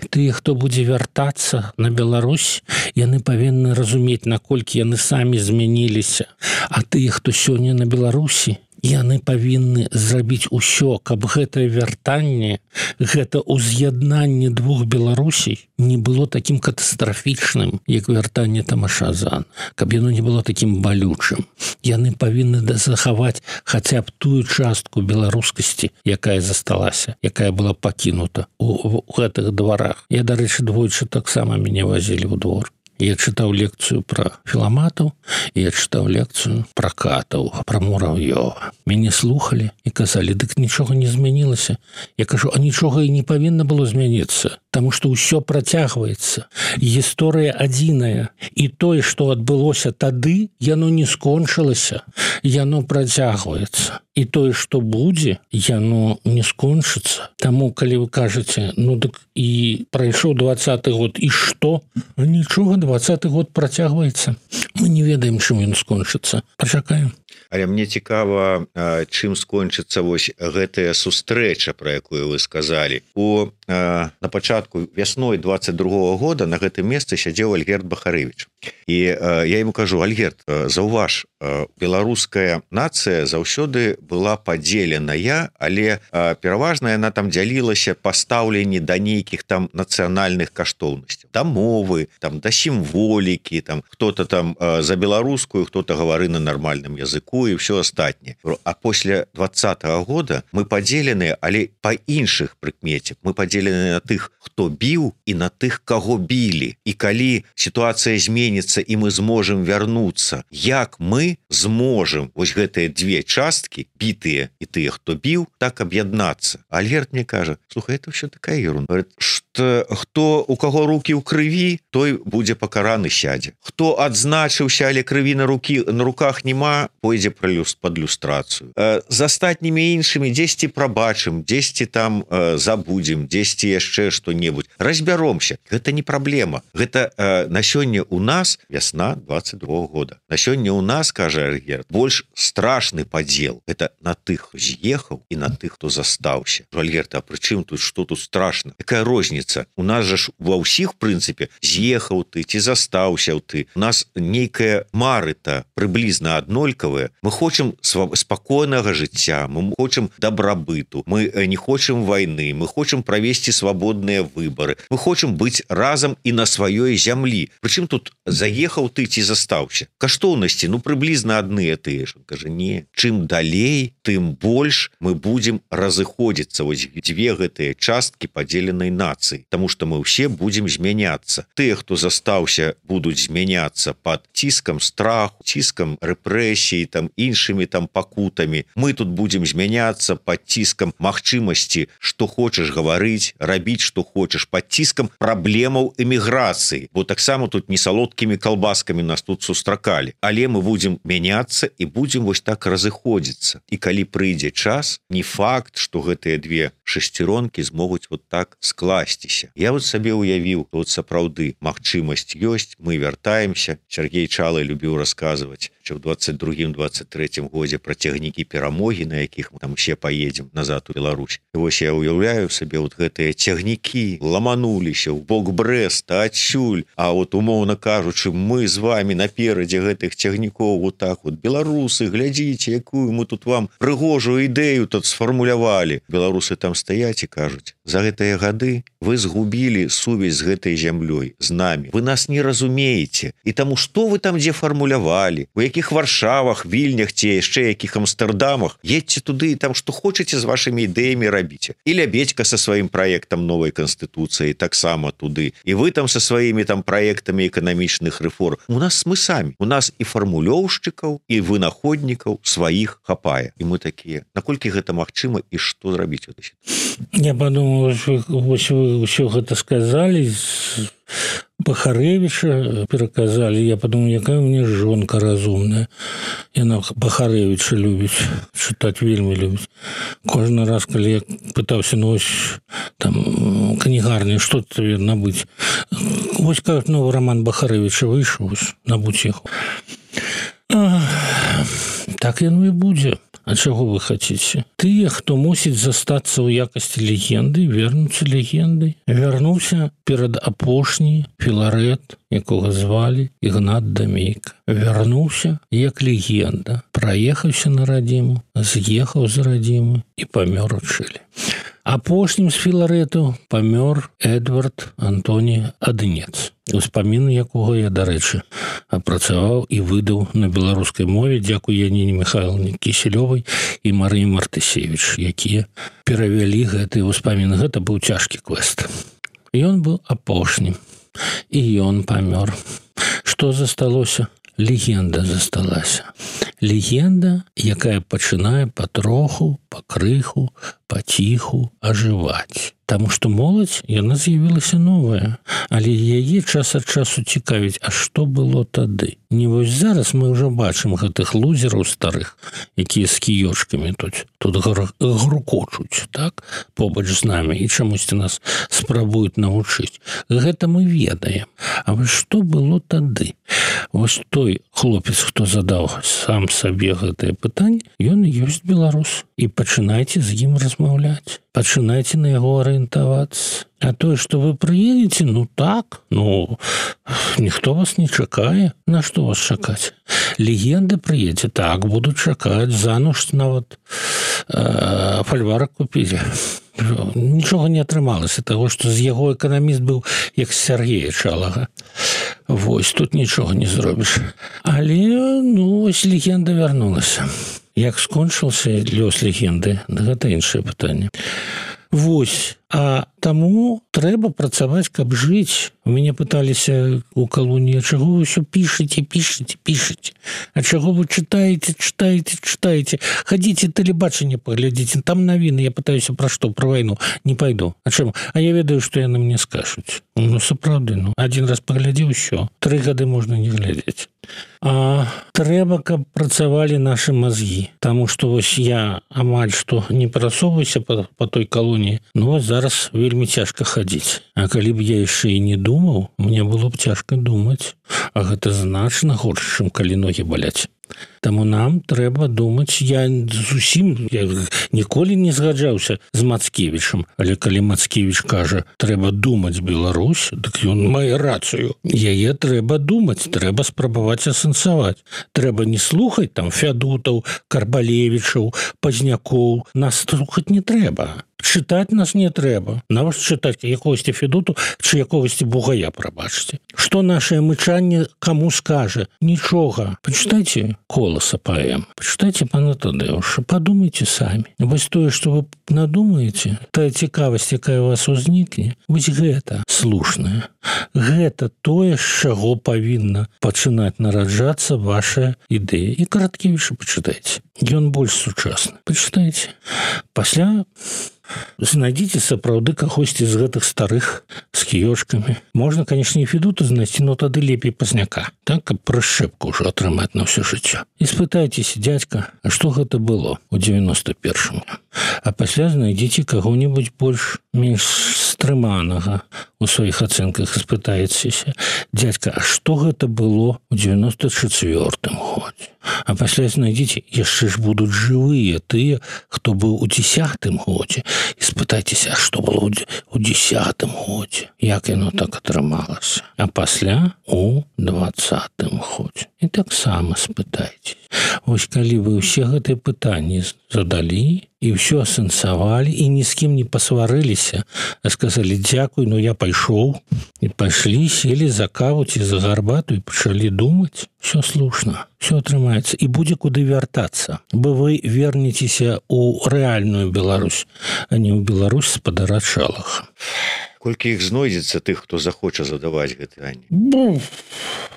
Тыя, хто будзе вяртацца на Беларусь, яны павінны разумець, наколькі яны самі змяніліся. А тыя, хто сёння на Беларусі, яны павінны зрабіць усё, каб гэтае вяртанне, гэта ўз'яднанне двух Беларусей не было такім катастрафічным, як вяртанне Тамаша Зана, каб яно не было такім балючым. Яны павінны захаваць хаця б тую частку беларускасці, якая засталася, якая была пакінута у гэтых дварах. Я, дарэчы, двойчы таксама мяне вазілі ў двор. Я чытаў лекцыю пра філаматаў, і я чытаў лекцыю пра катаў, пра мурав'ёва. Мяне слухалі і казалі, дык нічога не змянілася. Я кажу, а нічога і не павінна было змяніцца, таму што ўсё працягваецца. Гісторыя адзіная. І тое, што адбылося тады, яно не скончылася, яно працягваецца. І тое, што будзе, яно не скончыцца. Таму, калі вы кажаце, ну дык і прайшоў 20-й год, і што? Нічога, 20-й год працягваецца. Мы не ведаем, чым ён скончыцца. Пачакаем. Але мне цікава, чым скончыцца вось гэтая сустрэча, пра якую вы сказалі. На пачатку вясной 22-го года на гэтым месцы сядзеў Альгерд Бахарэвіч. І я ему кажу, Альгерд, заўваж, беларуская нацыя заўсёды была падзеленая, але пераважна яна там дзялілася па стаўленні да нейкіх там нацыянальных каштоўнасцяў, да мовы, там да сімволікі, там хто-то там за беларускую, хто-то гавары на нармальным языку і ўсё астатняе. А пасля 20-го года мы падзеленыя, але па іншых прыкмеце. Мы падзеленыя на тых, хто біў, і на тых, каго білі. І калі сітуацыя зменіцца і мы зможам вярнуцца, як мы зможам вось гэтыя две часткі, бітыя і тыя, хто біў, так аб'яднацца. Альгерд мне кажа, слухай, это ўсё такая ерунда. Говорит, што хто у каго рукі ў крыві, той будзе пакараны, сядзе. Хто адзначыўся, але крыві на руках нема, пойдзе пад люстрацыю. З астатнімі іншымі дзесьці прабачым, дзесьці там забудзем, дзесьці ці яшчэ што-небудзь, разбяромся, гэта не праблема. Гэта на сёння у нас вясна 22 года. На сёння у нас, кажа Альгерд, больш страшны падзел. Это на тых, хто з'ехаў і на тых, хто застаўся. Альгерд, а прычым тут што тут страшна? Якая розніца? У нас жа ж ва ўсіх, прынцыпе, з'ехаў ты ці застаўся ты. У нас нейкая мары-то прыблізна аднолькавая. Мы хочам спакойнага жыцця, мы хочам дабрабыту, мы не хочам вайны, мы хочам правесці свабодныя выбары, мы хочам быць разам і на сваёй зямлі. Прычым тут заехаў ты ці застаўся? Каштоўнасці, прыблізна адныя тыя ж. Кажа, не, чым далей, тым больш мы будзем разыходзіцца. Вось дзве гэтыя часткі падзеленай нацыі, таму што мы ўсе будзем змяняцца. Тыя, хто застаўся, будуць змяняцца пад ціскам страху, ціскам рэпрэсій, іншымі пакутамі. Мы тут будзем змяняцца пад ціскам магчымасці, што хочаш гаварыць, рабіць, што хочаш, пад ціскам праблемаў эміграцыі. Бо таксама тут не салодкімі калбаскамі нас тут сустракалі. Але мы будзем мяняцца і будзем вось так разыходзіцца. І калі прыйдзе час, не факт, што гэтыя две шесцеронкі змогуць вот так скласціся. Я вот сабе уявіў, вот сапраўды магчымасць ёсць, мы вяртаемся. Сергей Чалы любіў расказваць, що в 22-23 годзе пра цягнікі перамогі, на якіх мы там усе поедем назад у Беларусь. І вось я уяўляю сабе вот гэтыя цягнікі ламануліся ў бок Брэста, адсюль, а вот умоўна кажучы, мы з вами наперадзе гэтых цягнікоў вот так вот. Беларусы, глядзіце, якую мы тут вам прыгожую ідэю тут сфармулявалі. Беларусы там стаяць і кажуць, за гэтыя гады вы згубілі сувязь з гэтай зямлёй, з намі. Вы нас не разумееце. І таму што вы там дзе фармулявалі? У якіх Варшавах, Вільнях ці яшчэ якіх Амстэрдамах? Едьце туды і там што хочаце з вашымі ідэямі рабіце. І Лябедзька са сваім праектам новай канстытуцыі таксама туды. І вы там са сваімі там праектамі эканамічных рэформ. У нас мы самі. У нас і фармулёўшчыкаў, і вынаходнікаў сваіх хапае. І мы такія, наколькі гэта магчыма і што зрабіць? Я подумал, вось вы ўсё гэта сказалі, Бахарэвіча пераказалі. Я подумал, якая у меня жонка разумная. Яна Бахарэвіча любіць, чытаць вельмі любіць. Кожны раз, калі я пытаўся, там, кнігарні, што тебе набыць? Вось как новый роман Бахарэвіча выйшаў, набудзь яго. Так яно і будзе. А чаго вы хацеце? Тыя, хто мусіць застацца ў якасці легенды, вернуцца легендай. Вярнуўся перад апошні Філарэт, якога звалі Ігнат Дамейка. Вярнуўся як легенда. Праехаўся на радзіму, з'ехаў з радзімы і памёр у Чылі. Апошнім з Філарэту памёр Эдвард Антоні Адынец, успаміны якога я, дарэчы, апрацаваў і выдаў на беларускай мове, дзякуй Яніне Михайловне Кісялёвай і Марыі Мартысевіч, якія перавялі гэтыя ўспаміны. Гэта быў цяжкі квест. Ён быў апошнім, і ён памёр. Што засталося? Легенда засталася. Легенда, якая пачынае патроху, пакрыху, паціху ажываць. Таму што моладзь, яна з'явілася новая, але яе час ад часу цікавіць, а што было тады? Не вось зараз мы ўжо бачым гэтых лузераў старых, якія з кіёчкамі тут грукочуць, так, побач з намі, і чамусьці нас спрабуюць навучыць. Гэта мы ведаем. А вось што было тады? Вось той хлопец, хто задаў сам сабе гэтае пытанне, ён і ёсць беларус. І пачынайце з ім размаўляць. Пачынайце на яго арыентавацца. А тое, што вы прыедзеце, ніхто вас не чакае. На што вас чакаць? Легенда прыедзе, так, будуць чакаць, зануж нават фальварак купілі. Нічога не атрымалася, таго, што з яго эканаміст быў як Сергея Чалага. Вось, тут нічога не зробіш. Але, вось легенда вярнулася. Як скончыўся лёс легенды, гэта іншае пытанне. Вось, а таму трэба працаваць, каб жыць. У мяне пыталіся ў калоніі, чаго вы ўсё пішаце. А чаго вы чытаеце? Хадзіце тэлебачанне паглядзіце, там навіны. Я пытаюся пра што, пра вайну. Не пайду. А чаму? А я ведаю, што яны мне скажуць. Сапраўды, адзін раз паглядзеў, усё. 3 гады можна не глядзець. А трэба, каб працавалі нашы мазгі, таму што вось я амаль што не прасоўваюся па той калоніі, ну вось зараз вельмі цяжка хадзіць. А калі б я яшчэ і не думаў, мне было б цяжка думаць, а гэта значна горш, чым калі ногі баляць. Таму нам трэба думаць. Я ніколі не згаджаўся з Мацкевічам, але калі Мацкевіч кажа, трэба думаць Беларусь, дык ён мае рацыю. Яе трэба думаць, трэба спрабаваць асэнсаваць. Трэба не слухаць там Фядутаў, Карбалевічаў, Пазнякоў. Нас слухаць не трэба. Чытаць нас не трэба. Нават чытаць якогосьці Федуту ці якогосьці Бугая, прабачце. Што нашае мычанне каму скажа? Нічога. Пачытайце Коласа паэм. Пачытайце пана Тадэуша. Падумайце самі. Вось тое, што вы надумаеце, тая цікавасць, якая у вас узнікне, вось гэта слушнае. Гэта тое, з чаго павінна пачынаць нараджацца ваша ідэя. І Караткевіча пачытайце. Ён больш сучасны. Пачытайце. Пасля знайдзіце сапраўды кагосьці з гэтых старых з кіёчкамі. Можна, канешне, і Федута знайсці, но тады лепей Пазняка, так, каб прышчэпку ўжо атрымаць на ўсё жыццё. І спытайцеся, дзядзька, а што гэта было ў 91-м? А пасля знайдзіце каго-небудзь больш-менш стрыманага у сваіх ацэнках і спытайцеся, дзядзька, а што гэта было ў 94-м годзе? А пасля знайдзіце, яшчэ ж будуць жывыя тыя, хто быў у 10-м годзе. І спытайцеся, а што было ў 10-м годзе? Як яно так атрымалася? А пасля у 20-м годзе. І таксама спытайцеся. Вось калі вы ўсе гэтыя пытанні задалі і ўсё асэнсавалі, і ні з кім не пасварыліся, а сказалі дзякуй, ну я пайшоў, і пайшлі, селі за каву ці за гарбату і пачалі думаць, все слушна, все атрымаецца, і будзе куды вяртацца, бо вы вернецеся ў рэальную Беларусь, а не ў Беларусь спадара Чалаха. Колькі іх знойдзецца тых, хто захоча задаваць гэты пытанні?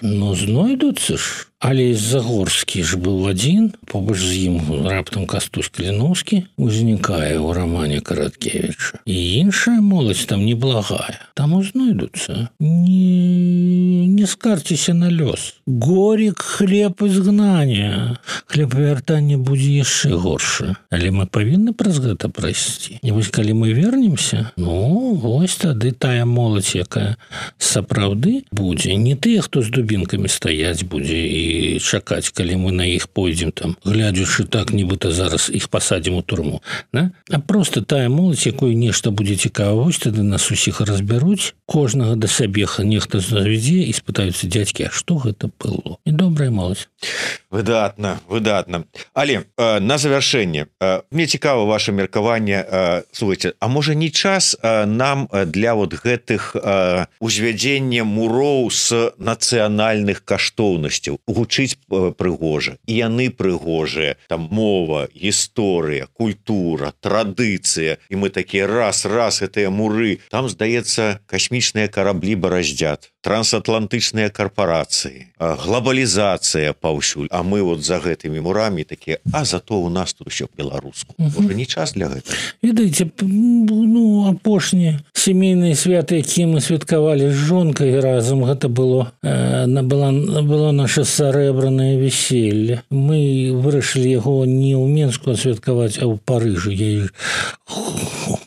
Ну, знойдуцца ж. Але Загорскі ж быў адзін, побач з ім раптам Кастусь Каліноўскі узнікае ў рамане Караткевіча. І іншая моладзь там неблагая. Таму знойдуцца. Не скарцеся на лёс. Горек, хлеб изгнання. Хлеб вяртання будзе яшчэ горшы. Але мы павінны праз гэта прайсці. І вось калі мы вернемся, ну, вось тады тая моладзь, якая сапраўды будзе. Не тыя, хто з дубінкамі стаяць будзе і чакаць, калі мы на іх пойдзем там, глядзячы так, нібыта зараз іх пасадзім у турму, да? А просто тая моладзь, якой нешта будзе цікава, вось тады нас усіх разбяруць, кожнага да сябе нехта завядзе і спытаюцца, дзядзькі, а што гэта было? І добрая моладзь. Выдатна. Але на завяршэнне, мне цікава ваше меркаванне, слухайце, а можа не час нам для вот гэтых узвядзення муроў з нацыянальных каштоўнасцяў гучыць прыгожа, і яны прыгожыя, там мова, гісторыя, культура, традыцыя, і мы такія раз гэтыя муры, там, здаецца, касмічныя караблі бараздзят, трансатлантычныя карпорацыі, глобалізацыя паўсюль, а мы вот за гэтымі мурамі такія, а зато у нас тут усё беларуску. Можа, не час для гэтага? Ведаеце, ну, апошнія сямейныя святы, якія мы святкавалі з жонкай разам, гэта было наша сарэбранае веселье. Мы вырашылі яго не ў Менску святкаваць, а ў Парыжы. Я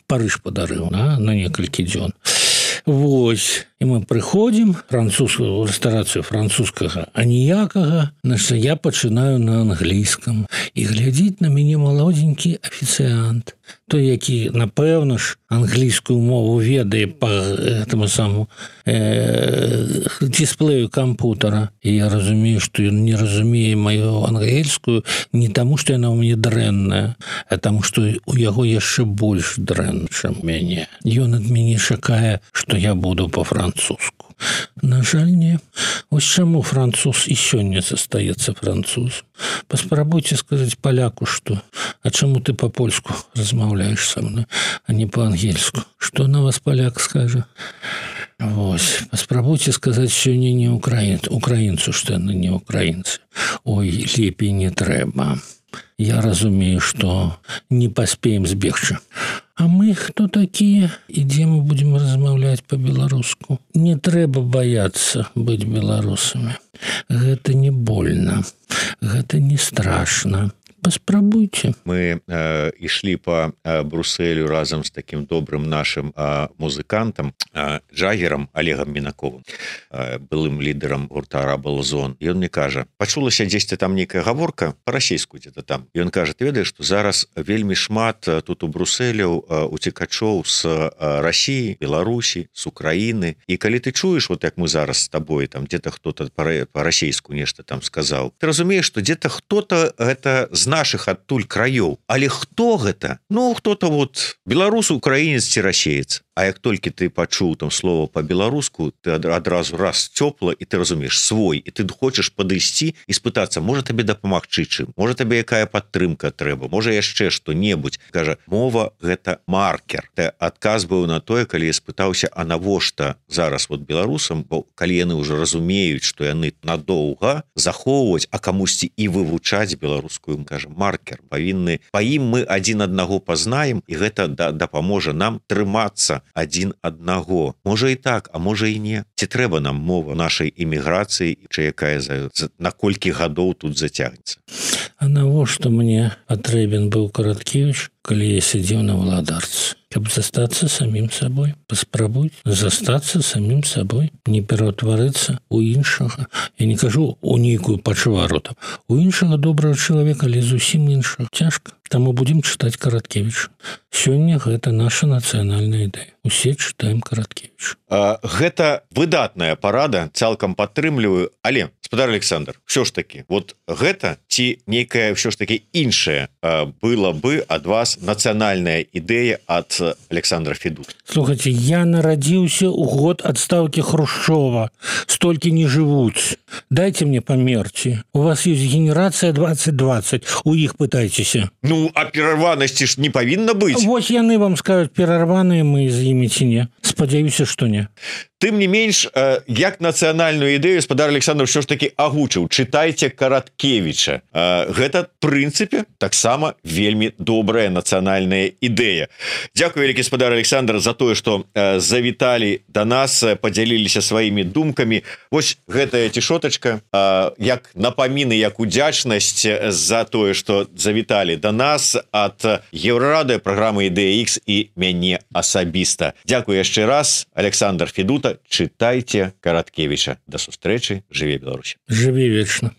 Парыж падарыў на некалькі дзён. Вось. І мы прыходзім, рэстарацыю французскага аніякага, значит, я пачынаю на англійскам. І глядзіць на мяне малодзенькі афіцыянт. Той, які, напэўна ж, англійскую мову ведае па гэтаму самому дисплею кампутара. І я разумею, што ён не разумее маю ангельскую не таму, што яна ў мяне дрэнная, а таму, што у яго яшчэ больш дрэнна, чым мяне. Ён ад мяне чакае, што я буду па-французску. На жаль, не. Вось чаму француз і сёння застаецца французам. Паспрабуйце сказаць паляку, што а чаму ты па-польску размаўляеш са мной, а не па-ангельску? Што на вас паляк скажа? Вось. Паспрабуйце сказаць сёння не украінцу, што яны не украінцы. Ой, лепей не трэба. Я разумею, што не паспеем збегчы. А мы хто такія? І дзе мы будзем размаўляць па-беларуску? Не трэба баяцца быць беларусамі. Гэта не больно. это не страшно. Паспрабуйце. Мы ішлі по Брусэлю разам з таким добрым нашим музыкантам Джагером Олегом Мінаковым, былым лідарам гурта Рабл-Зон. І он мне кажа, пачулася дзесьці там нейкая гаворка па-расейску где-то там. І он кажа, ты ведаеш, што зараз вельмі шмат тут у Брусэляў уцекачоў з России, Беларусі, з Украіны. І калі ты чуеш, вот як мы зараз з табой, там где-то хто-то па-расейску нешта там сказаў, ты разумееш, што где-то хто-то гэта з наших адтуль краёў. Але хто гэта? Ну, хто-то вот беларус, украінец ці расеец. А як толькі ты пачуў там слово по-беларуску, ты адразу раз цёпла, і ты разумееш свой, і ты хочаш падысці і спытацца, можа табе дапамагчы чым, можа табе якая падтрымка трэба, можа яшчэ што-небудзь. Кажа, мова гэта маркер. Ты адказ быў на тое, калі я спытаўся, а навошта зараз вот беларусам, бо калі яны ўжо разумеюць, што яны надоўга захоўваць, а камусьці і вывучаць беларускую, кажа, маркер. Павінны, па ім мы адзін аднаго пазнаем, і гэта дапаможа нам трымацца адзін аднаго. Можа і так, а можа і не. Ці трэба нам мова нашай эміграцыі, чи якая на колькі гадоў тут зацягнецца? А навошта мне патрэбен быў Караткевіч, калі я сидзеў на валадарцы? Каб застацца самім сабой. Паспрабуй застацца самім сабой, не пераўтварыцца у іншага. Я не кажу у нейкую пачвару там. У іншага добрага чалавека, але зусім іншага. Цяжка. Таму будзем чытаць Караткевіча. Сёння гэта наша нацыянальная ідэя. Усе чытаем Караткевіча. Гэта выдатная парада, цалкам падтрымліваю, але, гаспадар Александр, ўсё ж таки, вот гэта ці нейкая ўсё ж таки іншая была бы ад вас нацыянальная ідэя ад Александра Федута? Слухайте, я нарадзіўся ў год адстаўкі Хрушчова. Столькі не жывуць. Дайте мне памерці. У вас есть генерацыя 2020. У іх пытайцеся. Ну, а перарванасці ж не павінна быць. Вось яны вам скажуць, перарваныя мы з імі ці не. Спадзяюся, што не. Тым не менш, як нацыянальную ідэю гаспадар Александр ўсё ж таки агучыў. Чытайце Караткевіча. Гэта, в прынцыпе, таксама вельмі добрая нацыянальная ідэя. Дзякую, вялікі гаспадар Александр, за тое, што завіталі да нас, падзяліліся сваімі думкамі. Вось гэтая цішотачка, як напаміны, як удзячнасць за тое, што завіталі да нас ад Еўрарады, праграмы «Ідэя Х» і мяне асабіста. Дзякую яшчэ раз, Александр Федута. Чытайце Караткевіча. Да сустрэчы. Жыве Беларусь. Жыве вечна.